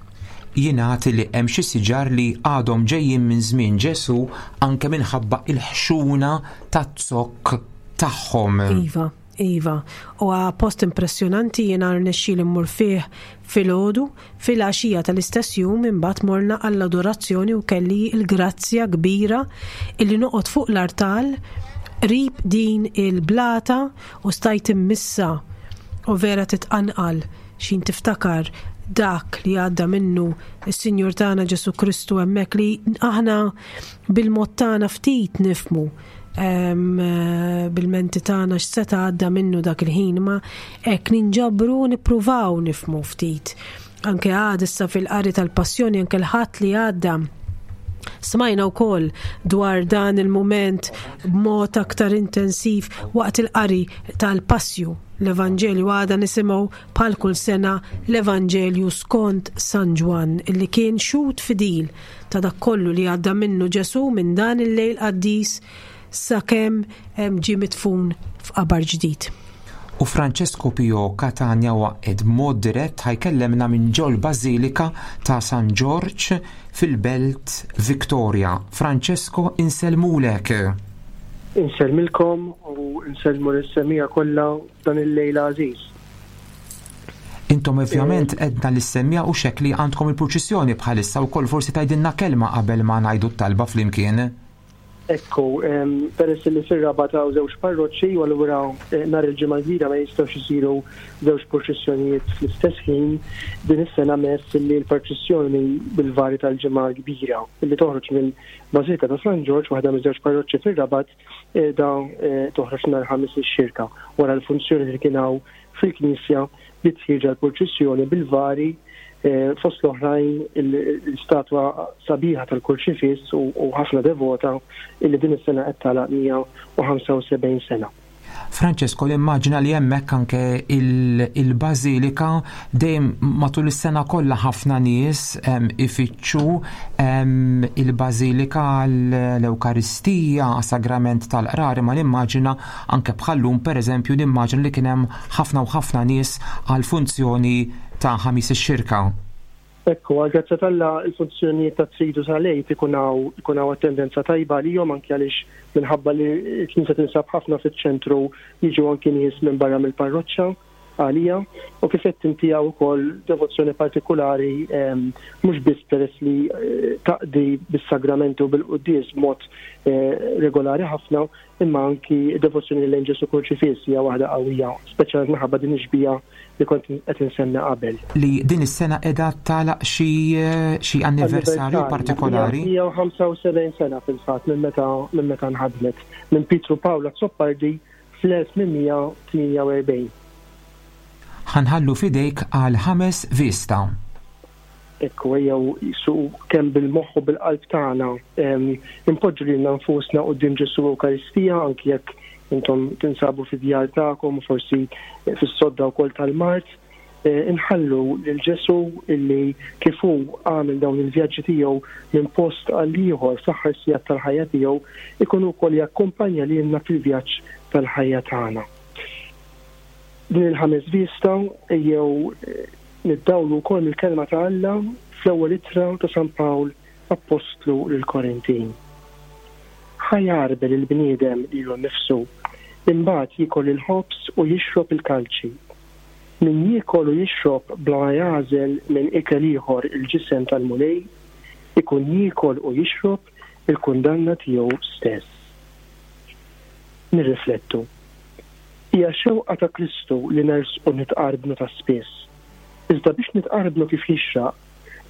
B: Jingħad li hemm xi siġar li għadhom ġejjin minn żmien Ġesù anke minħabba il-ħxuna taz-zokk tagħhom.
C: Iva, iva. Huwa post impressjonanti jiena rnexxieli mmur fih filgħodu, filgħaxija tal-istess jum imbagħad morna għall-adorazzjoni u kelli l-grazzja kbira illi noqgħod fuq l-artal qrib din il-blata u stajt immissa u vera titqanqal xin tiftakar dak li għadda minnu s-Sinjur tagħna Ġesù Kristu hemmhekk li aħna bil-mod tagħna ftit nifmu bil-menti tagħna x'seta' għadda minnu dak il-ħin ma hekk ninġabru nippruvaw nifmu ftit. Anke għad issa fil-qari tal-passjoni anke l-ħadd li għadda Smajna wkoll dwar dan il-mument b'mod aktar intensiv waqt il-qari tal-passju l-Evanġelju għada nisimgħu bħal kull sena l-Evanġelju skont San Ġwann illi kien xhud fidil ta' dak kollu li għadda minnu Ġesù minn dan il-lejl qaddis sakemm ġie midfun f'qabar ġdid.
B: U Francesco Pio Catania waqgħet b'mod dirett ħa jkellemna minn ġol-Bażilika ta' San Ġorġ fil-Belt Victoria. Francesco, insellmulek.
K: Insellmilkom u nsellmu lis-semmiegħa kollha f'dan il-lejl għażiż.
B: Intom ovvjament edna lis-semmiegħa u xekk li għandkom il-purċissjoni bħalissa wkoll forsi tgħidilna kelma qabel ma ngħidu t-talba flimkien.
K: Ekku, peress li fir-Rabat hawn żewġ parroċċi u allura nhar il-Ġimgħa l-Kbira ma jistgħux isiru żewġ purċissjonijiet fl-istess ħin, din is-sena mess li l-purċissjoni bil-vari tal-Ġimgħa l-Kbira li toħroġ mill-Bażilika ta' San Ġorġ, waħda miż-żewġ parroċċi fir-Rabat, qiegħda toħroġ nhar Ħamis ix-Xirka wara l-funzjoni li kien hawn fil-knisja bdiet ħierġa l-purċissjoni bil-vari fost l-oħrajn l-istatwa sabiħa tal-Kurċifiss u ħafna devota illi din is-sena qed tagħlaq 175 sena.
B: Francesco, nimmaġina li hemmhekk anke il-bażilika dejjem matul is-sena kollha ħafna nies ifittxu il-bażilika l-Ewkaristija, sagrament tal-qrar, imma nimmaġina anke bħal-lum pereżempju nimmaġina li kien hemm ħafna u ħafna nies għall-funzjoni ta' Ħamis ix-Xirka.
K: Ekku, għall-grazzja t'Alla l-funzjonijiet tat-Tridu tal-Għid ikun hawn ikun hawn attendenza tajba għalihom anki għaliex minħabba li l-knisja tinsab ħafna fiċ-ċentru jiġu anki nies minn barra mill-parroċċa għaliha u kif għedt inti hawn ukoll devozzjoni partikulari mhux biss peress li taqdi bis-sagramenti u bil-quddies b'mod regolari ħafna imma anki d-devozzjoni lejn Ġesù Kurċifiss hija waħda qawwija, speċjalment minħabba din ix-xbieha li kont qed insemmi qabel.
B: Li din is-sena qiegħda tagħlaq xi xi anniversarju partikolari.
K: 175 sena fil-fatt minn meta minn meta nħadmet minn Pietru Pawl Azzopardi fl-1848.
B: Ħa nħallu f'idejk għal ħames vista.
K: Ekku, ejjew su kemm bil-moħħ u bil-qalb tagħna inpoġġu lilna nfusna quddiem Ġesù Ewkaristija anki jekk intom tinsabu fid-djar tagħkom u forsi fis-sodda wkoll tal-mard, inħallu lil Ġesù illi kif hu għamel dawn il-vjaġġi tiegħu minn post għal ieħor fl-aħħar sigħat tal-ħajja tiegħu, ikun hu wkoll jakkumpanja lilna fil-vjaġġ tal-ħajja tagħna. Din il-ħames vista ejjew niddawlu wkoll mill-Kelma ta' Alla fl-ewwel ittra ta' San Pawl Appostlu lill-Korintin. Ħa jgħarbel il-bniedem lilu nnifsu, imbagħad jiekol il-ħobż u jixrob il-kalċi. Min jiekol u jixrob bla ma jagħżel minn ikel ieħor il-ġisem tal-Mulej, ikun jiekol u jixrob il-kundanna tiegħu stess. Nirriflettu. Hija xewqa ta' Kristu li nersqu nitqarbnu ta' spiss. Iżda biex nitqarbnu kif jixraq,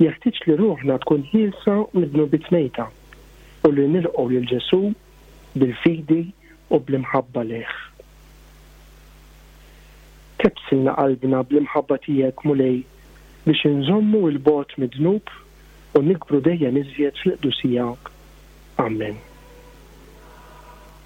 K: jeħtieġ li ruħna tkun ħielsa mid-dnubiet mejta u li nilqgħu lil Ġesù bil-fidi u bl-imħabba lejh. Kebbsilna qalbna bl-imħabba tiegħek, Mulej, biex inżommu 'l bogħod mid-dnub u nikbru dejjem iżjed fil-qdusija. Ammen.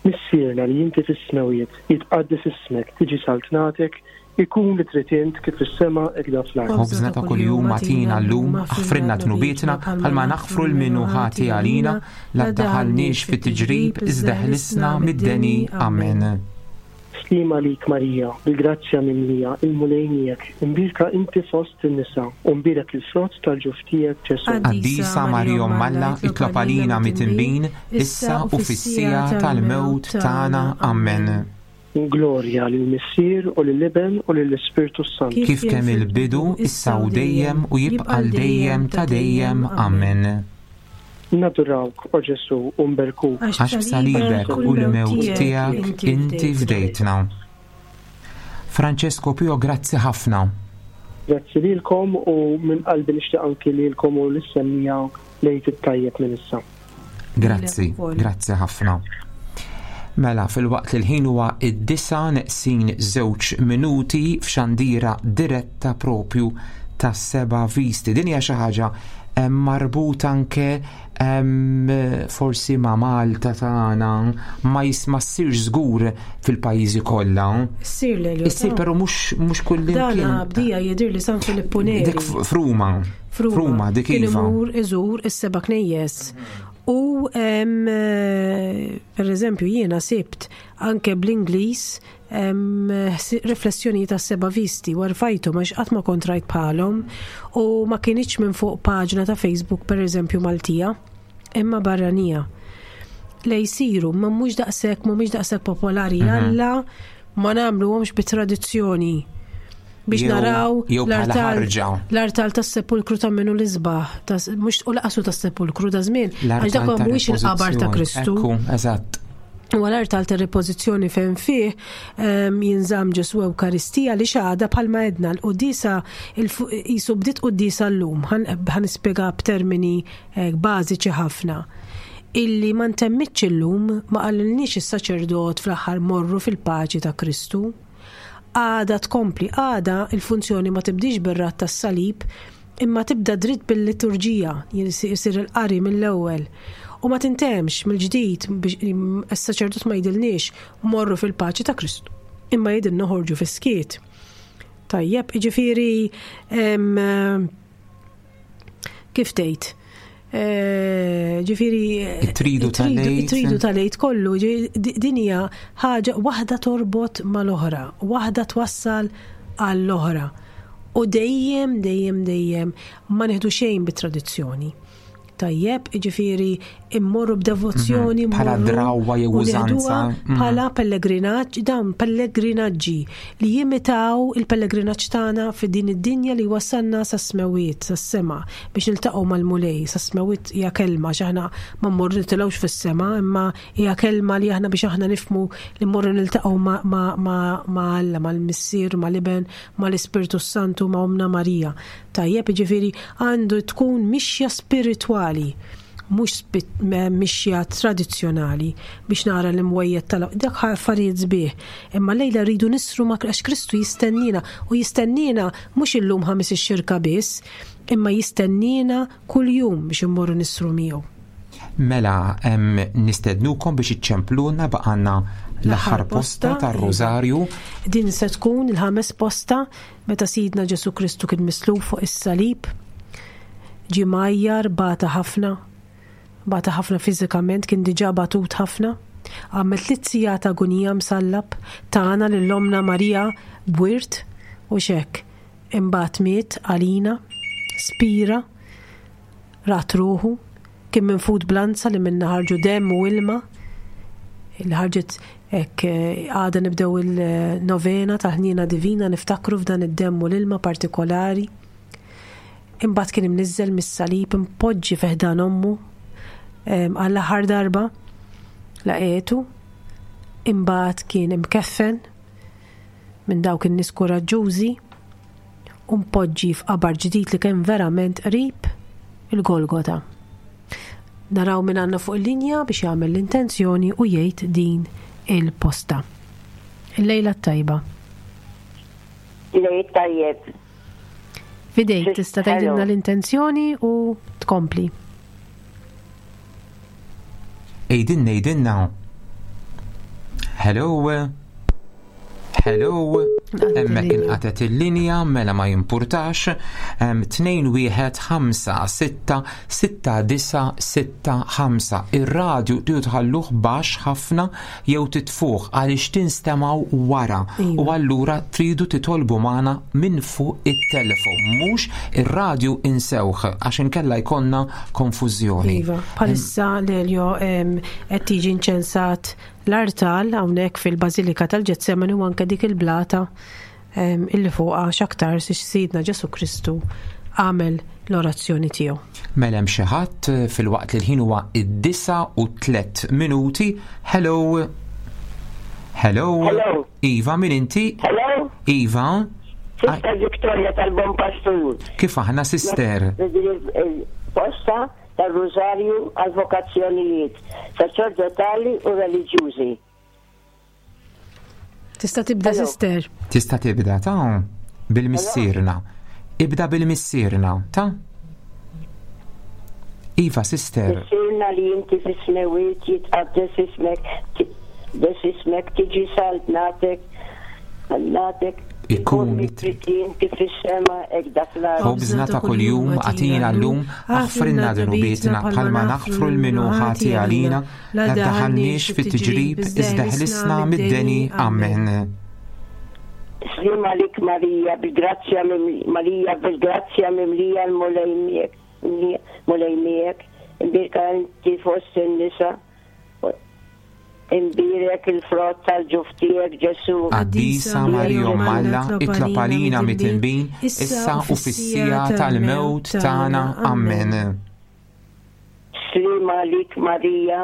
K: Missierna li inti fis-smewwiet, jitqaddes ismek, tiġi saltnatek, Ikun li trid int kif fis-sema hekk fl-art.
B: Ħobżna ta' kuljum agħtina llum, aħfrilna dnubietna bħalma naħfru 'l min hu ħati għalina, la ddaħħalniex fi tiġrib iżda ħlisna mid-deni. Amen.
K: Sliem għalik Marija, bil-grazzja mimlija, il-Mulej miegħek, imbierka inti fost in-nisa, u mbierek il-frott tal-ġuf tiegħek Ġesù.
B: Qaddisa Marija Omm Alla, itlob għalina mitinbin, issa u fis-siegħa tal-mewt tagħna. Amen.
K: Glorja lill-Missier u lill-Iben u lill-Ispirtu s-Santu.
B: Kif kemm il-bidu, issa u dejjem, u jibqa' 'l dejjem ta' dejjem. Amen.
K: Nadurawk, o Ġesù, u nberkuk.
B: Għax b'salibek u l-mewt tiegħek inti fdejtna. Francesco Pio, grazzi ħafna.
K: Grazzi lilkom u minn qalbi nixtieq anki lilkom u lis-semmiegħa l-Għid it-tajjeb minn issa.
B: Grazzi, grazzi ħafna. Mela, filwaqt li l-ħin huwa id-disa neqsin żewġ minuti f'xandira diretta propju ta' seba visti. Din hija xi ħaġa eh, marbut anke forsi ma' Malta tagħna ma jisma ssirx żgur fil-pajjiżi kollha.
C: Issir l
B: Issir però mhux mhux kullimkien.
C: Dan bdija jidhir li San Filippu Neri.
B: Dik f'Ruma. F'Ruma dik
C: iva. Kien
B: iva.
C: imur iżur is-seba' knejjes. U per eżempju jiena sibt anke bl-Ingliż riflessjonijiet tas-seba' visti u rfajthom għax qatt ma kont rajt bħalhom u ma kinitx minn fuq paġna ta' Facebook per eżempju Maltija imma barranija. Le jsiru, ma mhux daqshekk mhumiex daqshekk popolari mhm. Alla ma nagħmluhomx bi tradizzjoni biex naraw l-artal tas-sepulkru ta' minnu l-isbaħ, mhux u laqasu tas-sepulkru da żmien, għax dak mhuwiex il-qabar ta' Kristu.
B: Eżatt.
C: U għal-artal ta' repożizzjoni fejn fih ehm, jinżamm Ġesu Ewkaristija li xaħda bħalma edna l-qudisa jisu bdiet qudisa llum, ħan nispjega b'termini eh, bażiċi ħafna illi ma ntemmitx illum ma qalilniex is-saċerdot fl-aħħar morru fil-paċi ta' Kristu. Għada tkompli, għada il-funzjoni ma tibdix bir-radd tas-salib imma tibda dritt bil-liturġija, jsir il-qari mill-ewwel. U ma tintemx mill-ġdid biex is-saċerdot ma jgħidilniex morru fil-paċi ta' Kristu, imma jgħidilna ħorġu fis-skiet. Tajjeb, jiġifieri kif tgħid? Eh, ġifieri
B: it-tridu tal-lejt.
C: It-tridu tal-lejt kollu, din hija ħaġa waħda torbot mal-oħra, waħda twassal għall-oħra. U dejjem, dejjem, dejjem ma nieħdu xejn bit-tradizzjoni. Tajjeb, ġifieri immorru b'devozzjoni,
B: mhm. bħala drawwa jew użanza.
C: Mhm. Bħala pellegrinaġġ, dawn pellegrinaġġi li jimitaw il-pellegrinaġġ tagħna fi din id-dinja li wasalna sas-smewiet, sas-sema, biex niltaqgħu mal-Mulej, sas-smewiet hija kelma għax aħna ma mmorru nitilgħux fis-sema, imma hija kelma li aħna biex aħna nifhmu li mmorru niltaqgħu ma' Alla, mal-Missier, mal-Iben, mal-Ispirtu s-Santu, ma' Ommna Marija. Tajjeb, jiġifieri għandu tkun mixja spiritwali mhux mixja tradizzjonali biex nara l-imwejjed tal dak affarijiet sbieħ. Imma lejla rridu nisru ma' għax Kristu jistennina u jistennina mhux illum ħamis ix-xirka biss, imma jistennina kuljum biex immorru nisru miegħu.
B: Mela, nistednukom biex iċċempluna baqanna l-aħħar posta tar-Rożarju.
C: Din se tkun il-ħames posta meta Sidna Ġesu Kristu kien mislub fuq is-salib. Ġie mgħajjar, bata ħafna, bata ħafna fiżikament, kien diġà batut ħafna. Għamel tliet sigħat agunija msallab, tana lil ommna Marija b'wirt u x'hekk. Imbagħad miet għalina, spira, rat ruħu, kien minfud b'lanza li minnha ħarġu demm u ilma, li ħarġet hekk eh, għada nibdew il-novena tal-ħniena divina niftakru f'dan id-demm u l-ilma partikolari. Imbagħad kien imniżżel mis-salib impoġġi fi ħdan ommu għall-aħħar darba laqietu. Imbagħad kien imkeffen minn dawk in-nies kuraġġużi u mpoġġi f'qabar ġdid li kien verament qrib il-Golgota. Naraw min għandna fuq il-linja biex jagħmel l-intenzjoni u jgħid din il-posta. Il-lejla t-tajba.
L: Lejl tajjeb.
C: Fidejk tista' tgħidilna l-intenzjoni u tkompli.
B: Ejdinna, ejdinna. Hello. Hello. Hemmhekk inqatet il-linja mela ma jimpurtax. 2 1 5 6 6 9 6 5. Ir-radju tridu tħalluh baxx ħafna jew titfuh għaliex tinstemgħu wara u iva. allura tridu titolbu magħna minn fuq it-telefon, mhux ir-radju insewh għax inkella jkollna konfużjoni.
C: Iva, bħalissa Lelio qed tiġi inċensat L-artal hawnhekk fil-Bażilika tal-Ġetsemani u anke dik il-blata illi fuqha x'aktar Sidna Ġesù Kristu għamel l-orazzjoni tiegħu.
B: Mela hemm xi ħadd eh, filwaqt li l-ħin huwa id-disa u tlet minuti. Hello. Hello.
L: Hello.
B: Iva, min inti?
L: Hello.
B: Iva.
L: Sister Victoria tal-Bon Pastur.
B: Kif aħna sister?
L: Posta tar-Rużarju għal vokazzjonijiet saċerdotali u reliġjużi.
C: Tista' tibda sister.
B: Tista' tibda ta' bil-missierna. Ibda bil-missierna, ta' Iva, sister.
L: Missierna li inti fis-smewwiet jitqaddes ismek, des ismek tiġi saltnatek, natek
B: Ikun li
L: trid inti fis-sema hekk dak l-art.
B: Ħobżna ta' kuljum agħtina llum, aħfrilna dnubietna bħalma naħfru 'l min hu ħati għalina, la ddaħħalniex fit-tiġrib, iżda ħlisna mid-deni. Amen.
L: Sliem għalik Marija, bil-grazzja Marija bil-grazzja mimlija l-Mulej miegħek, Mulej miegħek, imbierka inti fost in-nisa. Imbierek il-frott tal-ġuf tiegħek, Ġesù.
B: Qaddisa Marija Omm Alla, itlob għalina midinbin, issa u fis-siegħa tal-mewt tagħna. Ammen.
L: Sliem għalik Marija,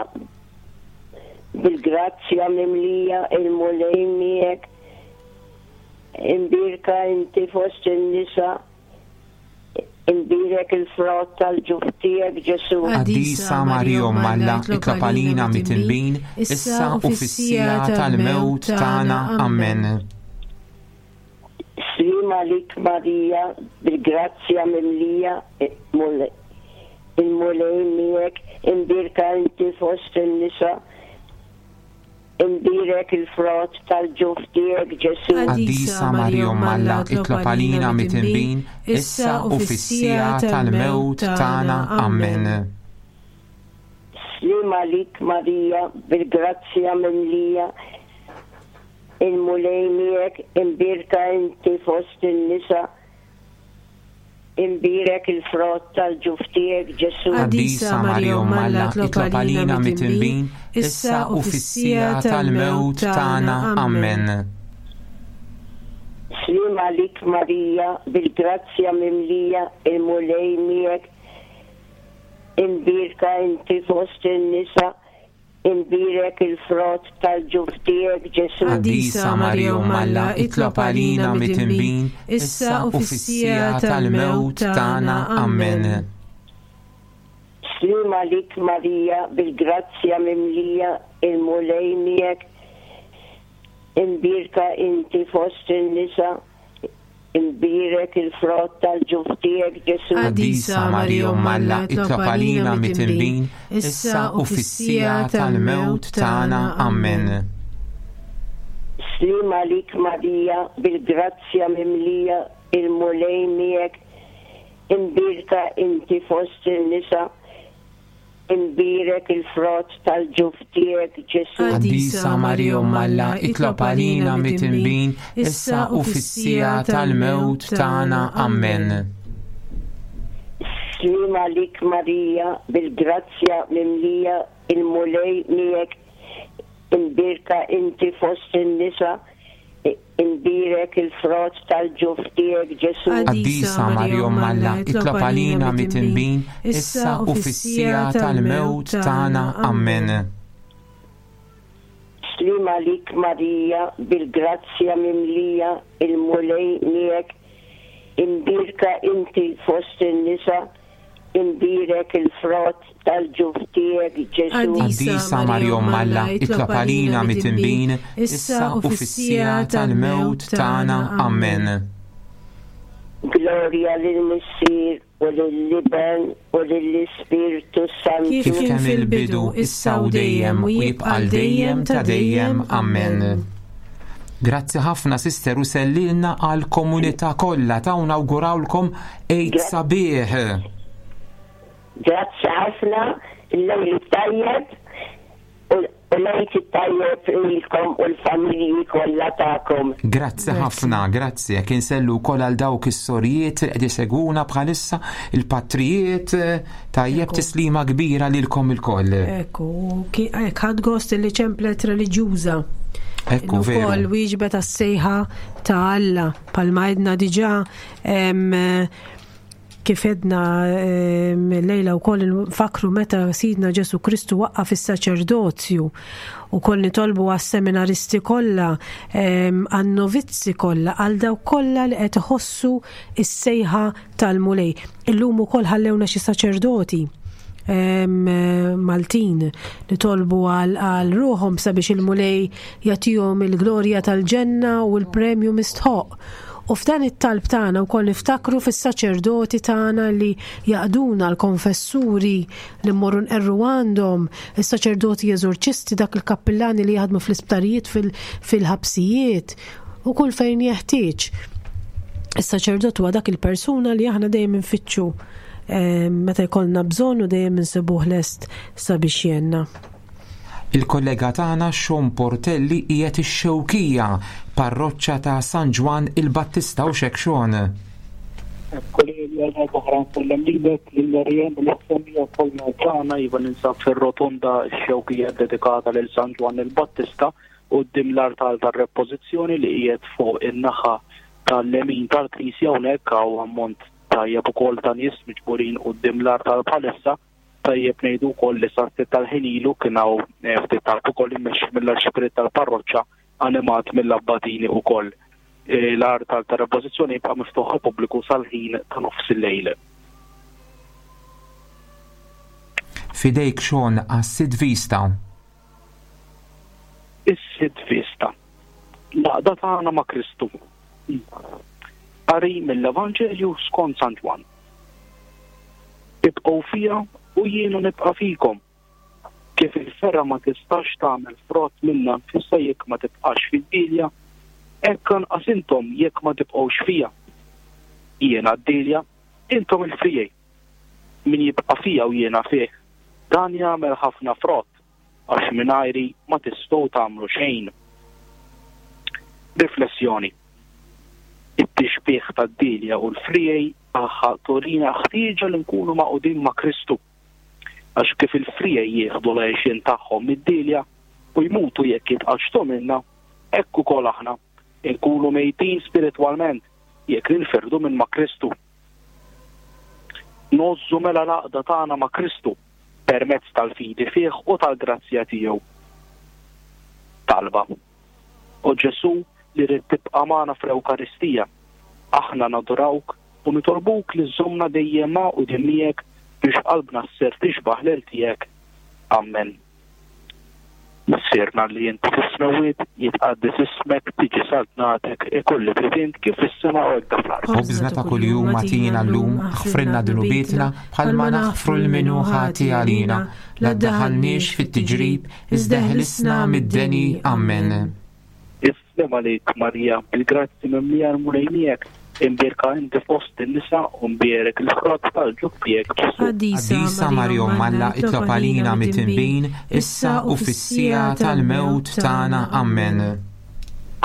L: bil-grazzja mimlija, il-Mulej miegħek. Imbierka inti fost in-nisa, Imbierek il-frott tal-ġuf tiegħek, Ġesù.
B: Qaddisa Marija Omm Alla, itlob għalina midinbin, issa u fis-siegħa tal-mewt tagħna. Ammen.
L: Sliem għalik Marija, bil-grazzja mimlija, il-Mulej miegħek, imbierka inti fost in-nisa, Imbierek il-frott tal-ġuf tiegħek, Ġesù.
B: Qaddisa Marija Omm Alla, itlob għalina midinbin, issa u fis-siegħa tal-mewt tagħna. Ammen.
L: Sliem għalik Marija, bil-grazzja mimlija, il-Mulej miegħek, imbierka inti fost in-nisa, Imbierek il-frott tal-ġuf tiegħek, Ġesù.
B: Qaddisa Marija Omm Alla, itlob għalina midinbin, issa u fis-siegħa tal-mewt tagħna. Ammen.
L: Sliem għalik Marija, bil-grazzja mimlija, il-Mulej miegħek, imbierka inti fost in-nisa, Imbierek il-frott tal-ġuf tiegħek, Ġesù.
B: Qaddisa Marija Omm Alla, itlob għalina midinbin, issa u fis-siegħa tal-mewt tagħna. Ammen.
L: Sliem għalik Marija, bil-grazzja mimlija, il-Mulej miegħek, imbierka inti fost in-nisa, Imbierek il-frott tal-ġuf tiegħek, Ġesù.
B: Qaddisa Marija Omm Alla, itlob għalina midinbin, issa u fis-siegħa tal-mewt tagħna. Ammen.
L: Sliem għalik Marija, bil-grazzja mimlija, il-Mulej miegħek, imbierka inti fost in-nisa, Imbierek il-frott tal-ġuf tiegħek, Ġesù.
B: Qaddisa Marija Omm Alla, itlob għalina midinbin, issa u fis-siegħa tal-mewt tagħna. Ammen.
L: Sliem għalik Marija, bil-grazzja mimlija, il-Mulej miegħek, imbierka inti fost in-nisa, Imbierek il-frott tal-ġuf tiegħek, Ġesù.
B: Qaddisa Marija Omm Alla, itlob għalina midinbin, issa u fis-siegħa tal-mewt tagħna. Ammen.
L: Sliem għalik Marija, bil-grazzja mimlija, il-Mulej miegħek, imbierka inti fost in-nisa, Imbierek il-frott tal-ġuf tiegħek, Ġesù.
B: Qaddisa Marija Omm Alla, itlob għalina midinbin, issa u fis-siegħa tal-mewt tagħna. Ammen.
L: Glorja lill-Missier u lill-Iben u lill-Ispirtu s-Santu.
B: Kif kien fil-bidu, issa u dejjem, u jibqa' għal dejjem ta' dejjem. Ammen. Grazzi ħafna sister u sellilna għal komunità kollha ta' nawgurawlkom Għid sabiħ.
L: Grazzi ħafna, il-lejl tajjeb u l-Għid it-tajjeb lilkom u l-familji kollha tagħkom.
B: Grazzi ħafna, grazzi. Jekk insellu wkoll għal dawk is-sorijiet li qed isegwuna bħalissa, il-patrijiet, tajjeb tislima kbira lilkom ilkoll.
C: Ekku, hekk ħadd gost li ċemplet reliġjuża.
B: Ekku, veru.
C: Ukoll wieġbet għas-sejħa ta' Alla palma għedna diġà Kif għedna llejla wkoll nfakru meta Sidna Ġesu Kristu waqqaf is-saċerdozju ukoll nitolbu għas-seminaristi kollha, għan-novizzi kollha, għal dawk kollha li qed iħossu s-sejħa tal-Mulej. Illum ukoll ħallewna xi saċerdoti Maltin nitolbu għal ruħhom sabiex il-Mulej jagħtihom il-glorja tal-ġenna u l-premju mistħoq. U f'dan it-talb tagħna wkoll niftakru fis-saċerdoti tagħna li jaqduna l-konfessuri li mmorru nqerru għandhom, is-saċerdoti eżorċisti, dak il-kappillani li jaħdmu fl-isptarijiet fil-ħabsijiet u kull fejn jeħtieġ. Is-saċerdot huwa dak il-persuna li aħna dejjem infittxu eh, meta jkollna bżonn u dejjem insibuh lest sabiex jenna.
B: Il-kollega tagħna Sean Portelli qiegħed ix-Xewkija, parroċċa ta' San Ġwann il-Battista u xek Sean.
H: Kollegi għal darba nsellem lilek, lil Ariane u lis-semmiegħa kollha tagħna. Iva ninsab fir-rotonda x-Xewkija ddedikata lil San Ġwann il-Battista quddiem l-artal tar-Repożizzjoni li qiegħed fuq in-naħa tal-lemin tal-knisja hawnhekk hawn ammont tajjeb ukoll ta' nies miġburin quddiem l-artal bħalissa. Tajjeb ngħidu wkoll li sa ftit tal-ħin ilu kien hawn eh, ftit talb ukoll immexxi mill-arċipriet tal-parroċċa animat mill-abbatini ukoll. Eh, l-artal ta' repożizzjoni jibqa' miftuħ għall-pubbliku sal-ħin ta' nofs il-lejl.
B: Fidejk Sean għas-sid vista.
H: Is-sid vista. L-għaqda tagħna ma' Kristu. Qari mill-Evanġelju skont San Ġwann. Ibqgħu fija u jiena nibqa' fikom. Kif il-fergħa ma tistax tagħmel frott minnha nfisha jekk ma tibqax fid-dielja, hekk anqas intom jekk ma tibqgħux fija. Jiena d-dielja, intom il-friegħi. Min jibqa' fija u jiena fih, dan jagħmel ħafna frott, għax mingħajri ma tistgħu tagħmlu xejn. Riflessjoni It-tixbih tad-dielja u l-friegħi tagħha turina l-ħtieġa li nkunu magħqudin ma' Kristu. Għax kif il-friegħi jieħdu l-għixien tagħhom mid-dielja u jmutu jekk jitqaċċtu minnha, hekk ukoll aħna, inkunu mejtin spiritwalment jekk ninfirdu minn ma' Kristu. Ngħożżu mela l-għaqda tagħna ma' Kristu permezz tal-fidi fih u tal-grazzja tiegħu. Talba. O Ġesù li ridt tibqa' magħna fl-Ewkaristija, aħna nadurawk u nitolbuk li żżommna dejjem magħqudin miegħek biex qalbna ssir tixbah lil tiegħek. Ammen. Missierna li inti fis-smewwiet, jitqaddes ismek, tiġi saltnatek, ikun li trid int kif fis-sema u hekk fl-art.
B: Ħobżna ta' kuljum agħtina llum, aħfrilna dnubietna bħalma naħfru 'l min hu ħati għalina. La ddaħħalniex fit-tiġrib, iżda eħlisna mid-deni. Ammen.
H: Is-sliem għalik, Marija, bil-grazzja mimlija l-Mulej miegħek, imbierka inti fost in-nisa u mbierek il-frott tal-ġuf tiegħek Ġesù.
B: Qaddisa Marija Omm Alla, itlob għalina midinbin, issa u fis-siegħa tal-mewt tagħna. Ammen.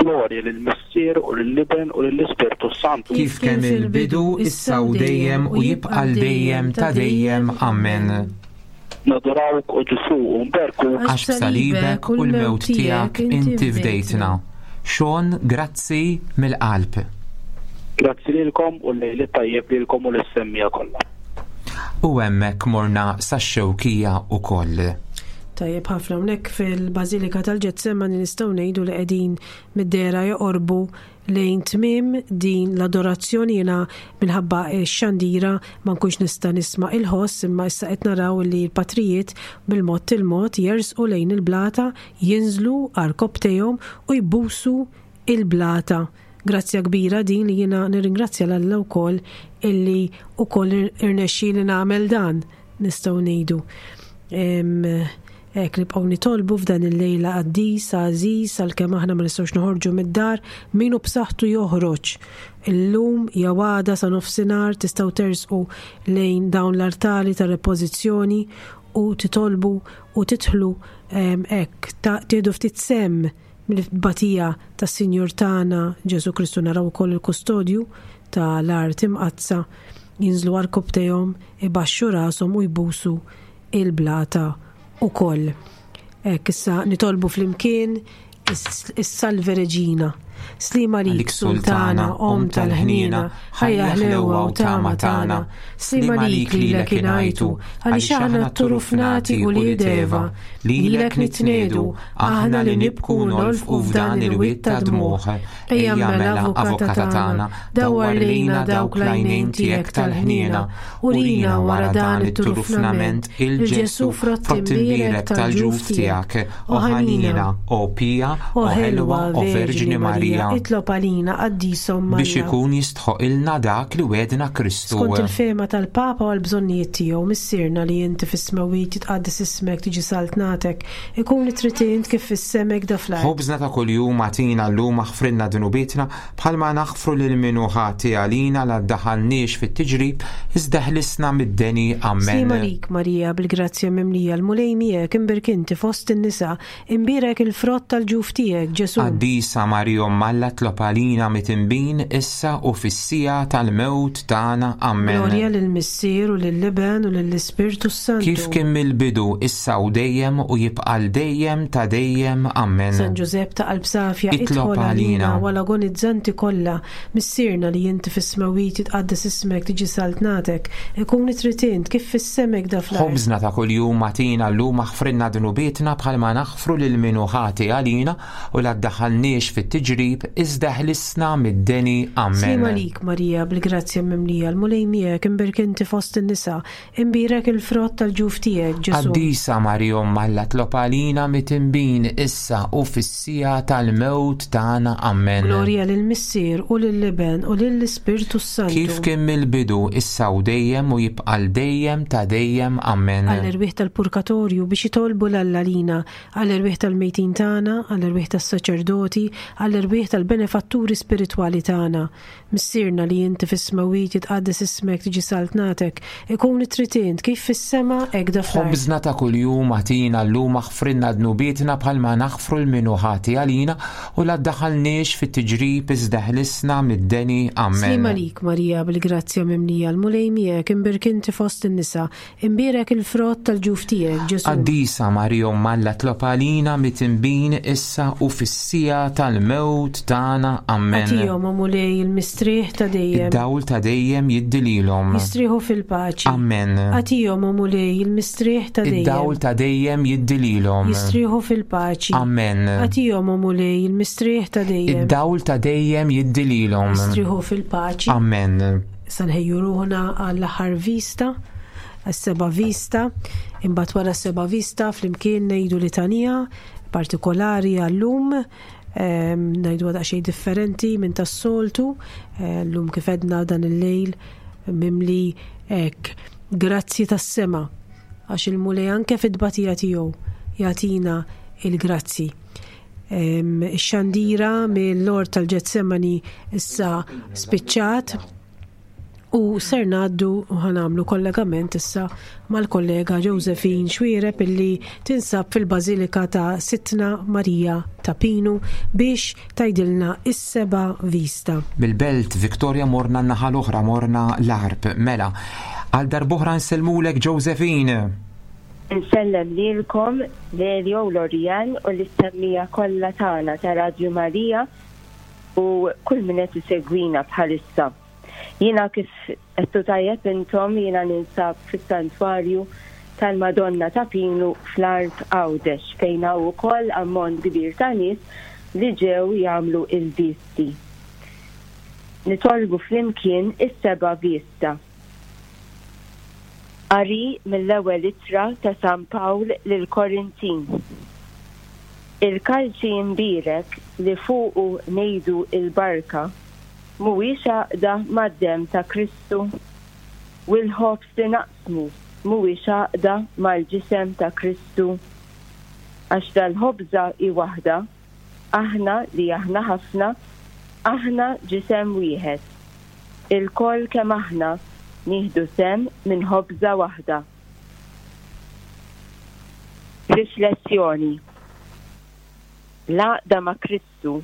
H: Glorja lill-Missier u lill-Iben u lill-Ispirtu s-Santu.
B: Kif kemm il-bidu, issa u dejjem u jibqa' 'l dejjem ta' dejjem. Ammen.
H: Nadurawk, o Ġesù, u nberkuk.
B: Għax b'salibek u l-mewt tiegħek inti fdejtna. Sean, grazzi mill-qalb.
H: Grazzi lilkom u l-lejl it-tajjeb lilkom u lis-semmiegħa kollha.
B: U hemmhekk morna sax-Xewkija ukoll.
C: Tajjeb ħafna hawnhekk fil-Bażilika tal-Ġetsemani nistgħu ngħidu li qegħdin mid-dehra joqorbu lejn tmiem din l-adorazzjoni jiena minħabba x-xandira ma nkunx nista' nisma' il-ħoss imma issa qed naraw li l-patrijiet bil-mod il-mod jersqu lejn il-blata, jinżlu għarkopptejhom u jbusu il-blata. Grazzja kbira din li jiena nirringrazzja 'l Alla wkoll illi wkoll irnexxieli nagħmel dan nistgħu ngħidu. Hekk nibqgħu nitolbu f'dan il-lejla qaddis, għażiż, għalkemm aħna ma nistgħux noħorġu mid-dar, min hu b'saħħtu joħroġ. Illum jew għada sa nofsinhar tistgħu tersqu lejn dawn l-artali ta' repożizzjoni u titolbu u tidħlu hekk tieħdu ftit sehem mill-tbatija tas-Sinjur tagħna Ġesù Kristu naraw ukoll il-kustodju ta' l-art imqaddsa jinżlu għarkupptejhom, ibaxxu rashom u jbusu il-blata ukoll. Hekk issa nitolbu flimkien is-Salve Reġina. Slima lik Sultana, Omm tal-ħniena, ħajja ħlewwa u tama tagħna. Slima lik lilek ingħajtu, għaliex aħna t-turufnati ulied Eva, lilek nitniedu, aħna li nibku u nolfqu f'dan il-wied ta' dmugħ. Ejja mela Avukata tagħna, dawwar lejna dawk l-għajnejn tiegħek tal-ħniena, urina wara dan it-turufnament il Ġesù frott imbierek tal-ġuf tiegħek, o ħanina,
B: o pija, o ħelwa, o Verġni Marija.
C: Itlob għalina, qaddis Omm
B: Alla. Biex ikun jistħoqilna dak li wegħdna Kristu.
C: Skont il-fehma tal-Papa u għall-bżonnijiet tiegħu, Missierna li inti fis-smewwiet, jitqaddes ismek, tiġi saltnatek, Ikun li trid int kif fis-sema hekk da fl-art.
B: Ħobżna ta' kuljum agħtina llum aħfrilna dnubietna bħalma naħfru lil min hu ħati għalina la ddaħħalniex fit-tiġrib iżda ħlisna mid-deni. Ammen.
C: Sliem għalik Marija bil-grazzja mimlija l-Mulej miegħek imbierk inti fost in-nisa, imbierek il-frott tal-ġuf tiegħek Ġesù.
B: Qaddisa Marija Omm Alla tlob għalina mitinbin issa u fis-siegħa tal-mewt tagħna. Ammen.
C: Glorja lill-Missier u lill-Iben u lill-Ispirtu s-Santu.
B: Kif kien mill-bidu, issa u dejjem u jibqa' għal dejjem ta' dejjem. Ammen.
C: San Ġużepp ta' qalb safja,
B: Itlob
C: idħol
B: għalina.
C: għalina u għal agonizzanti kollha. Missierna li inti fis-smewwiet jitqaddes ismek, tiġi saltnatek, ikun li trid int, kif fis-sema hekk da fl-art.
B: Ħobżna ta' kuljum agħtina llum aħfrilna dnubietna bħalma naħfru lil min hu ħati għalina u la ddaħħalniex fit-tiġrib, iżda ħlisna mid-deni. Ammen.
C: Sliem għalik, Marija, bil-grazzja mimlija, l-Mulej miegħek, imbierk inti fost in-nisa, Imbierek il-frott tal-ġuf tiegħek, Ġesù.
B: Qaddisa Marija Omm Alla tlob għalina mitinbin issa u fis-siegħa tal-mewt tagħna. Ammen.
C: Glorja lill-Missier u lill-Iben u lill-Ispirtu s-Santu.
B: Kif kien mill-bidu, issa u dejjem u jibqa' għal dejjem ta' dejjem. Ammen.
C: Għall-erwieħ tal-purkatorju biex jitolbu 'l Alla għalina, għall-erwieħ tal-mejtin tagħna, għall-erwieħ tas-saċerdoti, għall-erwieħ tal-benefatturi spiritwali tagħna. Missierna li inti fis-smewwiet jitqaddes ismek tiġi saltnatek, ikun li trid int kif fis-sema hekk da fl-art.
B: Ħobżna ta' kuljum agħtina llum aħfrilna dnubietna bħalma naħfru 'l min hu ħati għalina u la ddaħħalniex fit-tiġrib iżda ħlisna mid-deni. Ammen.
C: Sliem għalik Marija bil-grazzja mimlija l-Mulej miegħek imbierk inti fost in-nisa Imbierek il-frott tal-ġuf tiegħek, Ġesù.
B: Qaddisa Marija Omm Alla tlob għalina mitinbin issa u fis-siegħa tal-mewt tagħna. Ammen.
C: Agħtihom, o Mulej, il-mistrieħ ta' dejjem.
B: Id-dawl ta' dejjem jiddi lilhom.
C: Jistrieħu fil-paċi.
B: Ammen.
C: Agħtihom, o Mulej, il-mistrieħ ta' dejjem.
B: Id-dawl ta' dejjem jiddi lilhom.
C: Jistrieħu fil-paċi.
B: Ammen.
C: Agħtihom, o Mulej, il-mistrieħ ta' dejjem.
B: Id-dawl ta' dejjem jiddi lilhom.
C: Jistrieħu fil-paċi.
B: Ammen.
C: Sa nħejju ruħna għall-aħħar vista, għas-seba' vista, imbagħad wara s-seba' vista flimkien ngħidu litanija partikolari għallum, ehm, ngħidu daqsxejn differenti minn tas-soltu, eh, llum kif edna dan il-lejl mimli hekk grazzi tas-sema għax il-Mulej anke fit-tbatija tiegħu jagħtina il-grazzi. Ix-xandira mill-Lord tal-Ġetsemani issa spiċċat u ser ngħaddu u ħanamlu kollegament issa mal-kollega Josephine Xwiereb illi tinsab fil-Bażilika ta' Sitna Marija ta' Pinu biex tgħidilna is-seba' vista.
B: Mill-Belt Victoria morna n-naħa l-oħra, morna l-Għarb. Mela, għal darb'oħra nsellmulek Josephine!
D: Insellem lilkom, Lelio u Lorianne u lis-semmiegħa kollha tagħna ta' Radju Marija u kull min qed isegwina bħalissa. Jiena kif għedtu tajjeb intom jiena ninsab fis-Santwarju tal-Madonna ta' Pinu fl-Għarb Għawdex fejn hawn ukoll ammont kbir ta' nies li ġew jagħmlu l-visti. Nitolbu flimkien is-seba' vista. Qari mill-Ewwel Ittra ta' San Pawl lill-Korintin. Il-kalċi mbierek li fuqu ngħidu l-barka mhuwiex għaqda mad-demm ta' Kristu? U l-ħobż li naqsmu mhuwiex għaqda mal-ġisem ta' Kristu? Għax dal-ħobża hi waħda, aħna li aħna ħafna, aħna ġisem wieħed. Ilkoll kemm aħna nieħdu sehem minn ħobża waħda. Riflessjoni, L-għaqda ma' Kristu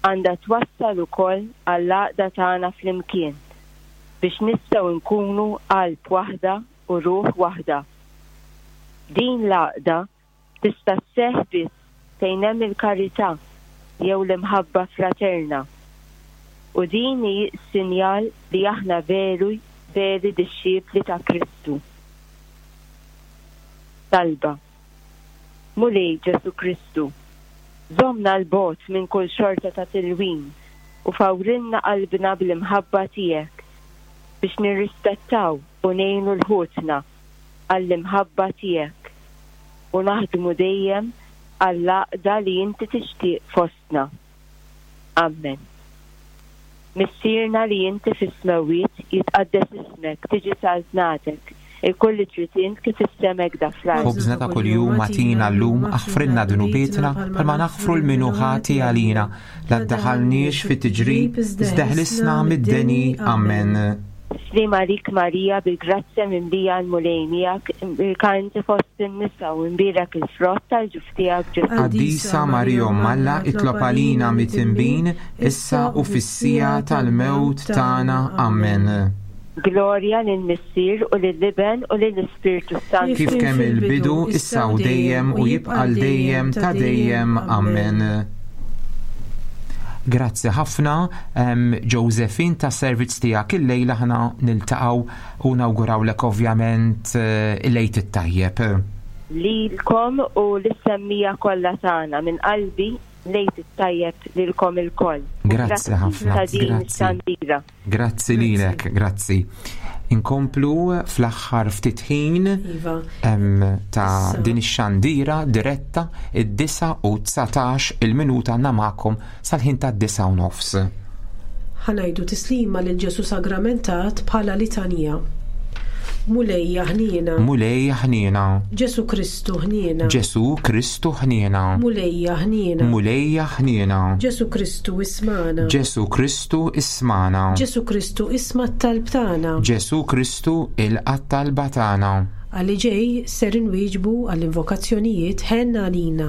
D: għandha twassal ukoll għall-għaqda tagħna flimkien biex nistgħu nkunu qalb waħda u ruħ waħda. Din l-għaqda tista' sseħħ biss fejn hemm il-karità jew l-imħabba fraterna. U din hi s-sinjal li aħna veru veri dixxipli ta' Kristu. Talba, Mulej Ġesù Kristu, żommna 'l bogħod minn kull xorta ta' tilwim u fawrilna qalbna bl-imħabba tiegħek biex nirrispettaw u ngħinu 'l ħutna għall-imħabba tiegħek u naħdmu dejjem għall-għaqda li inti tixtieq fostna. Ammen. Missierna li inti fis-smewwiet, jitqaddes ismek, tiġi saltnatek, ikun li trid int kif fis-sema hekk da fl-art.
B: Ħobżna ta' kuljum agħtina llum, aħfrilna dnubietna bħalma naħfru 'l min hu ħati għalina, La ddaħħalniex fit-tiġrib, iżda ħlisna mid-deni. Ammen.
D: Sliem għalik Marija, bil-grazzja mimlija l-Mulej miegħek, imbierka inti fost in-nisa u imbierek il-frott tal-ġuf tiegħek Ġesù.
B: Qaddisa Marija Omm Alla, itlob għalina mitinbin, issa u fis-siegħa tal-mewt tagħna. Ammen.
D: Glorja lill-Missier u lill-Iben u lill-Ispirtu s-Santu.
B: Kif kemm il-bidu, issa u dejjem u jibqa' l dejjem ta' dejjem. Ammen. Grazzi ħafna Josephine ta' servizz tiegħek illejla ħna niltaqgħu u nawgurawlek ovvjament eh, il-lejt it-tajjeb.
D: Lilkom u lis-semmija kollha tagħna minn qalbi lejt it-tajjeb lilkom ilkoll.
B: Grazzi ħafna.
D: Ta' din ix-xandira.
B: Grazzi lilek, grazzi. Inkomplu fl-aħħar ftit ħin
C: iva.
B: ta' din ix-xandira diretta id-9 u 19 il-minuta namakom sal-ħin ta' 9 u nofs.
C: Ħanajdu tislima lil Ġesu Sagramentat bħala litanija. Mulejja ħniena.
B: Mulejja ħniena.
C: Ġesu Kristu ħniena.
B: Ġesu Kristu ħniena.
C: Mulejja ħniena.
B: Mulejja ħniena.
C: Ġesu Kristu ismana.
B: Ġesu Kristu ismana.
C: Ġesu Kristu isma' t-talb tagħna.
B: Ġesu Kristu ilqa' t-talba tagħna.
C: Għal li ġej ser inwieġbu għall-invokazzjonijiet Ħenn għalina.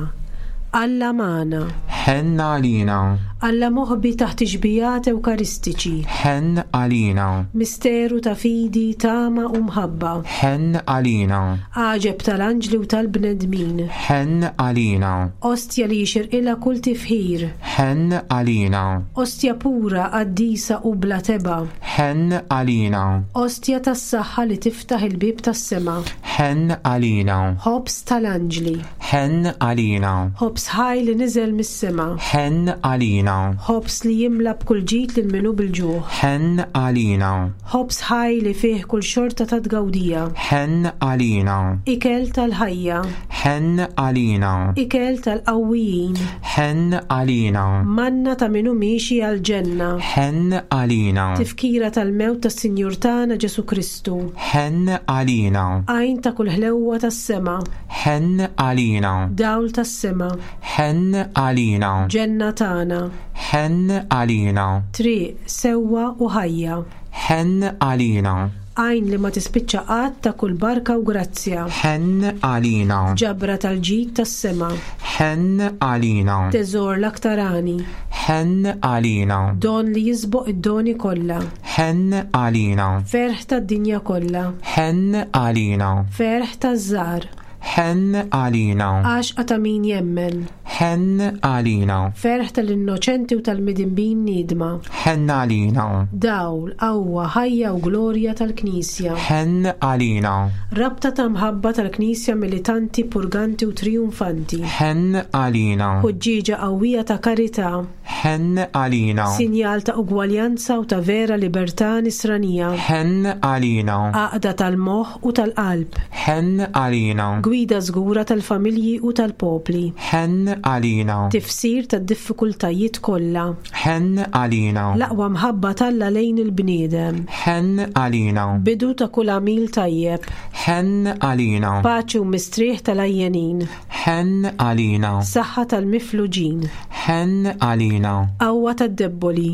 C: Alla magħna.
B: Ħenn għalina.
C: Alla moħbi taħt ix-xbijat Ewkaristiċi.
B: Ħenn għalina.
C: Misteru ta' fidi, tama u mħabba.
B: Ħenn għalina.
C: Għaġeb tal-anġli u tal-bnedmin.
B: Ħenn għalina.
C: Ostja li jixirqilha kull tifħir.
B: Ħenn għalina.
C: Ostja pura, qaddisa u bla tebgħa.
B: Ħenn għalina.
C: Ostja tas-saħħa li tiftaħ il-bieb tas-sema.
B: Ħenn għalina.
C: Ħobż tal-anġli.
B: Ħenn għalina.
C: Ħobż ħaj li niżel mis-sema.
B: Ħenn għalina.
C: Ħobż li jimla b'kull ġid lil min hu bil-ġuħ.
B: Ħenn għalina.
C: Ħobż ħaj li fih kull xorta ta' tgawdija.
B: Ħenn għalina.
C: Ikel tal-ħajja.
B: Ħenn għalina.
C: Ikel tal-qawwijin.
B: Ħenn għalina.
C: Manna ta' min hu miexi għall-ġenna.
B: Ħenn għalina.
C: Tifkira tal-mewt tas-Sinjur tagħna Ġesù Kristu.
B: Ħenn għalina.
C: Għajn ta' kull ħlewwa tas-sema.
B: Ħenn għalina.
C: Dawl tas-sema.
B: Ħenn għalina.
C: Ġenna tagħna.
B: Ħenn għalina.
C: Triq, sewwa u ħajja.
B: Ħenn għalina.
C: Għajn li ma tispiċċa qatt ta' kull barka u grazzja.
B: Ħenn għalina.
C: Ġabra tal-ġid tas-sema.
B: Ħenn għalina.
C: Teżor l-aktar għani.
B: Ħenn għalina.
C: Don li jisboq id-doni kollha.
B: Ħenn għalina.
C: Ferħ tad-dinja kollha.
B: Ħenn għalina.
C: Ferħ taż-żgħar.
B: Ħenn għalina.
C: Għaxqa ta' min jemmen.
B: Ħenn għalina.
C: Ferħ tal-innoċenti u tal-midinbin niedma.
B: Ħenn għalina.
C: Dawl, qawwa, ħajja u glorja tal-Knisja.
B: Ħenn għalina.
C: Rabta ta' mħabba tal-Knisja militanti, purganti u trijunfanti.
B: Ħenn għalina.
C: Ħuġġieġa qawwija ta' karità.
B: Ħenn għalina.
C: Sinjal ta' ugwaljanza u ta' vera libertà nisranija.
B: Ħenn għalina.
C: Għaqda tal-moħħ u tal-qalb.
B: Ħenn għalina.
C: Gwida żgura tal-familji u tal-popli.
B: Ħenn għalina.
C: Tifsir tad-diffikultajiet kollha.
B: Ħenn għalina.
C: L-aqwa mħabba t'Alla lejn il-bniedem.
B: Ħenn għalina.
C: Bidu ta' kull għamil tajjeb.
B: Ħenn għalina.
C: Paċi u mistrieħ tal-għajjenin.
B: Ħenn għalina.
C: Saħħa tal-mifluġin.
B: Ħenn għalina.
C: Qawwa tad-debboli.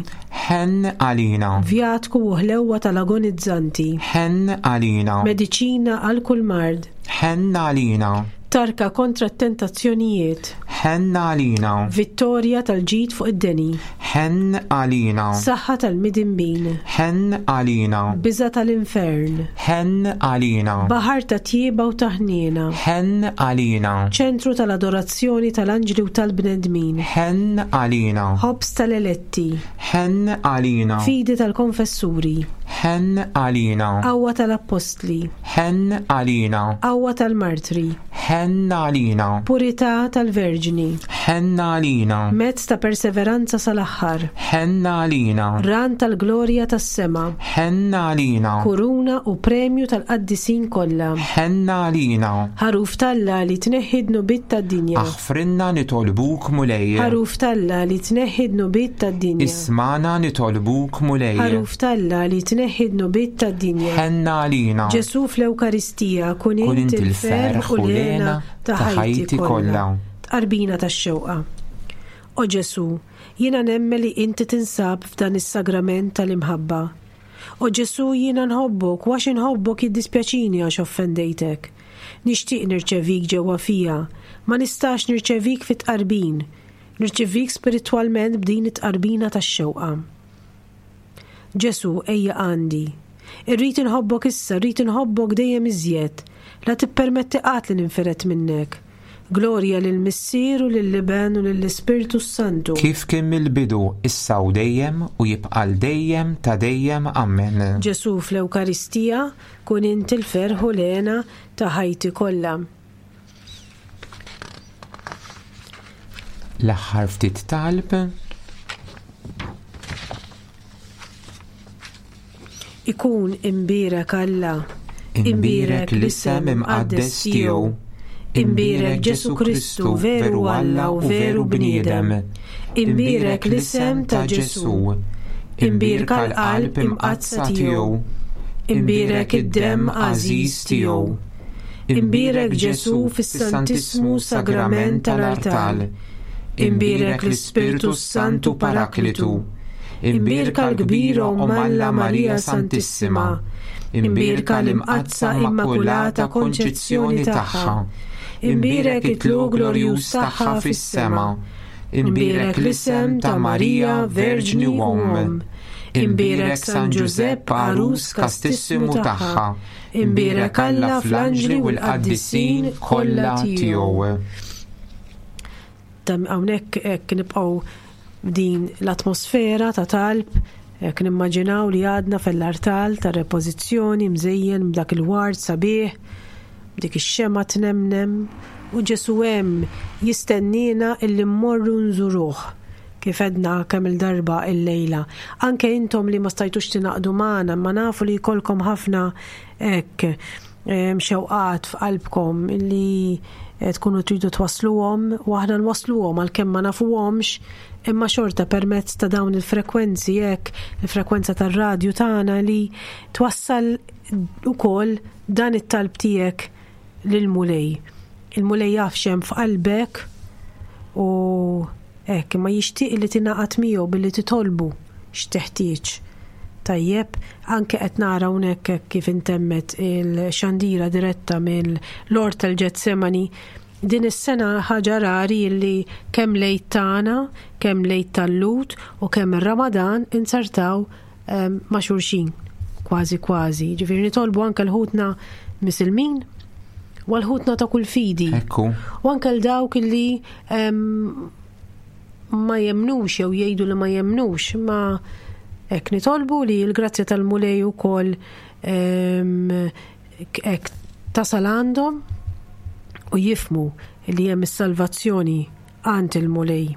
B: Ħenn għalina.
C: Vjatku u ħlewwa tal-agonizzanti.
B: Ħenn għalina.
C: Mediċina għal kull mard.
B: Ħenn għalina.
C: Tarka kontra t-tentazzjonijiet.
B: Ħenn għalina.
C: Vittorja tal-ġid fuq id-deni.
B: Ħenn għalina.
C: Saħħa tal-midinbin.
B: Ħenn għalina.
C: Biża' tal-infern.
B: Ħenn għalina.
C: Baħar ta' tjieba u ta' ħniena.
B: Ħenn għalina.
C: Ċentru tal-adorazzjoni tal-anġli u tal-bnedmin.
B: Ħenn għalina.
C: Ħobż tal-eletti.
B: Ħenn għalina.
C: Fidi tal-konfessuri.
B: Ħenn għalina.
C: Qawwa tal-appostli.
B: Ħenn għalina.
C: Qawwa tal-martri.
B: Ħenn għalina.
C: Purità tal-Verġni.
B: Ħenn għalina.
C: Mezz ta' perseveranza sal-aħħar.
B: Ħenn għalina.
C: Ran tal-glorja tas-sema.
B: Ħenn għalina.
C: Kuruna u premju tal-qaddisin kollha.
B: Ħenn għalina.
C: Ħaruf t'Alla li tneħħi d-dnubiet tad-dinja.
B: Aħfrilna nitolbuk Mulej.
C: Ħaruf t'Alla li tneħħi d-dnubiet tad-dinja.
B: Ismagħna nitolbuk Mulej.
C: Ħaruf t'Alla li tneħħi d-dnubiet tad-dinja.
B: Ħenn għalina.
C: Ġesù fl-Ewkaristija, kun int il-ferħ u l-hena ta' ħajti kollha. Tqarbina tax-xewqa. O Ġesù, jiena nemmen li inti tinsab f'dan is-sagrament tal-imħabba. O Ġesù jiena nħobbok u għax inħobbok jiddispjaċini għax offendejtek. Nixtieq nirċevik ġewwa fija, ma nistax nirċevik fit-tqarbin. Nirċivik spiritwalment b'din it-tqarbina tax-xewqa. Ġesù, ejja għandi. Irrid inħobbok issa, rrid inħobbok dejjem iżjed. La tippermetti qatt li ninfired minnek. Glorja lill-Missier u lill-Iben u lill-Ispirtu s-Santu.
B: Kif kien mill-bidu, issa u dejjem, u jibqa' għal dejjem ta' dejjem. Ammen.
C: Ġesù fl-Ewkaristija, kun int il-ferħ u l-hena ta' ħajti kollha.
B: L-aħħar ftit talb.
C: Ikun imbierek Alla,
B: Imbierek l-isem imqaddes tiegħu. Imbierek Ġesù Kristu, veru Alla u veru bniedem. Imbierek l-isem ta' Ġesù. Imbierka l-qalb imqaddsa tiegħu.
C: Imbierek id-demm għażiż tiegħu. Imbierek Ġesù fis-Santissmu Sagrament tal-artal. Imbierek l-Ispirtu s-Santu
B: Paraklitu. Imbierka l-kbira Omm Alla Marija Santissima. Imbierka l-Imqaddsa Immakulata Konċizzjoni tagħha. Imbierek it-tlugħ glorjuż tagħha fis-sema. Imbierek l-isem ta' Marija Verġni u Omm. Imbierek San Ġużepp għarus kastissimu tagħha. Imbierek Alla fl-anġli u l-qaddisin kollha tiegħu.
C: Hawnhekk hekk nibqgħu din l-atmosfera ta' talb, hekk nimmaġinaw li għadna fell-artal ta' repożizzjoni mżejjen b'dak il-ward sabiħ, b'dik ix-xemgħa tnemnem, u Ġesù hemm jistenniena illi mmorru nżuruh. Kif għedna kemm-il darba illejla, anke intom li ma stajtux tingħaqdu magħna imma nafu li jkollkom ħafna hekk xewqat f'qalbkom li eh, tkunu tridu twassluhom u aħna nwassluhom għalkemm ma nafuhomx imma xorta permezz ta' dawn il-frekwenzi hekk, il-frekwenza tar-radju tagħna li twassal ukoll dan it-talb tiegħek lill-Mulej. Il-Mulej jaf x'hemm f'qalbek u Hekk, imma jixtieq li tingħaqad miegħu billi titolbu x'teħtieġ. Tajjeb, anke qed nara hawnhekk hekk kif intemmet il-xandira diretta mill-Ort tal-Ġetsemani, din is-sena ħaġa rari li kemm l-Għid tagħna, kemm l-Għid tal-Lhud u kemm ir-Ramadan inzertaw ehm, ma' xulxin kważi kważi. Ġifieri nitolbu anke l-ħutna Misilmin u għal ħutna ta' kull fidi.
B: Ekku.
C: U anke l dawk li ma jemnux jew jgħidu li ma jemnux, ma hekk nitolbu li l-grazzja tal-Mulej ukoll hekk tasal għandhom u jifmu li hemm is-salvazzjoni għand il-Mulej.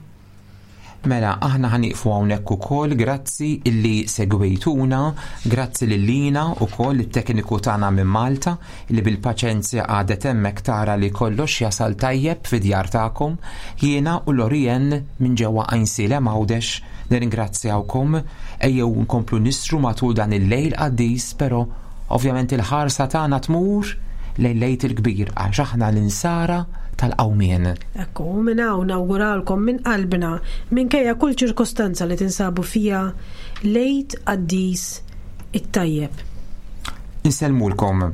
B: Mela, aħna ħa nieqfu hawnhekk ukoll, grazzi illi segwejtuna, grazzi lil Lina ukoll it-tekniku tagħna minn Malta li bil-paċenzja qagħdet hemmhekk tara li kollox jasal tajjeb fid-djar tagħkom. Jiena u Lorien minn ġewwa Għajnsielem Għawdex nirringrazzjawkom. Ejjew nkomplu nistru matul dan il-lejl qaddis, però ovvjament il-ħarsa tagħna tmur lejn l-Għid il-Kbir għax aħna l-insara tal-qawmien.
C: Ekku, u minn hawn nawguralkom minn qalbna, minkejja kull ċirkostanza li tinsabu fiha, l-Għid Qaddis it-tajjeb.
B: Insellmulkom.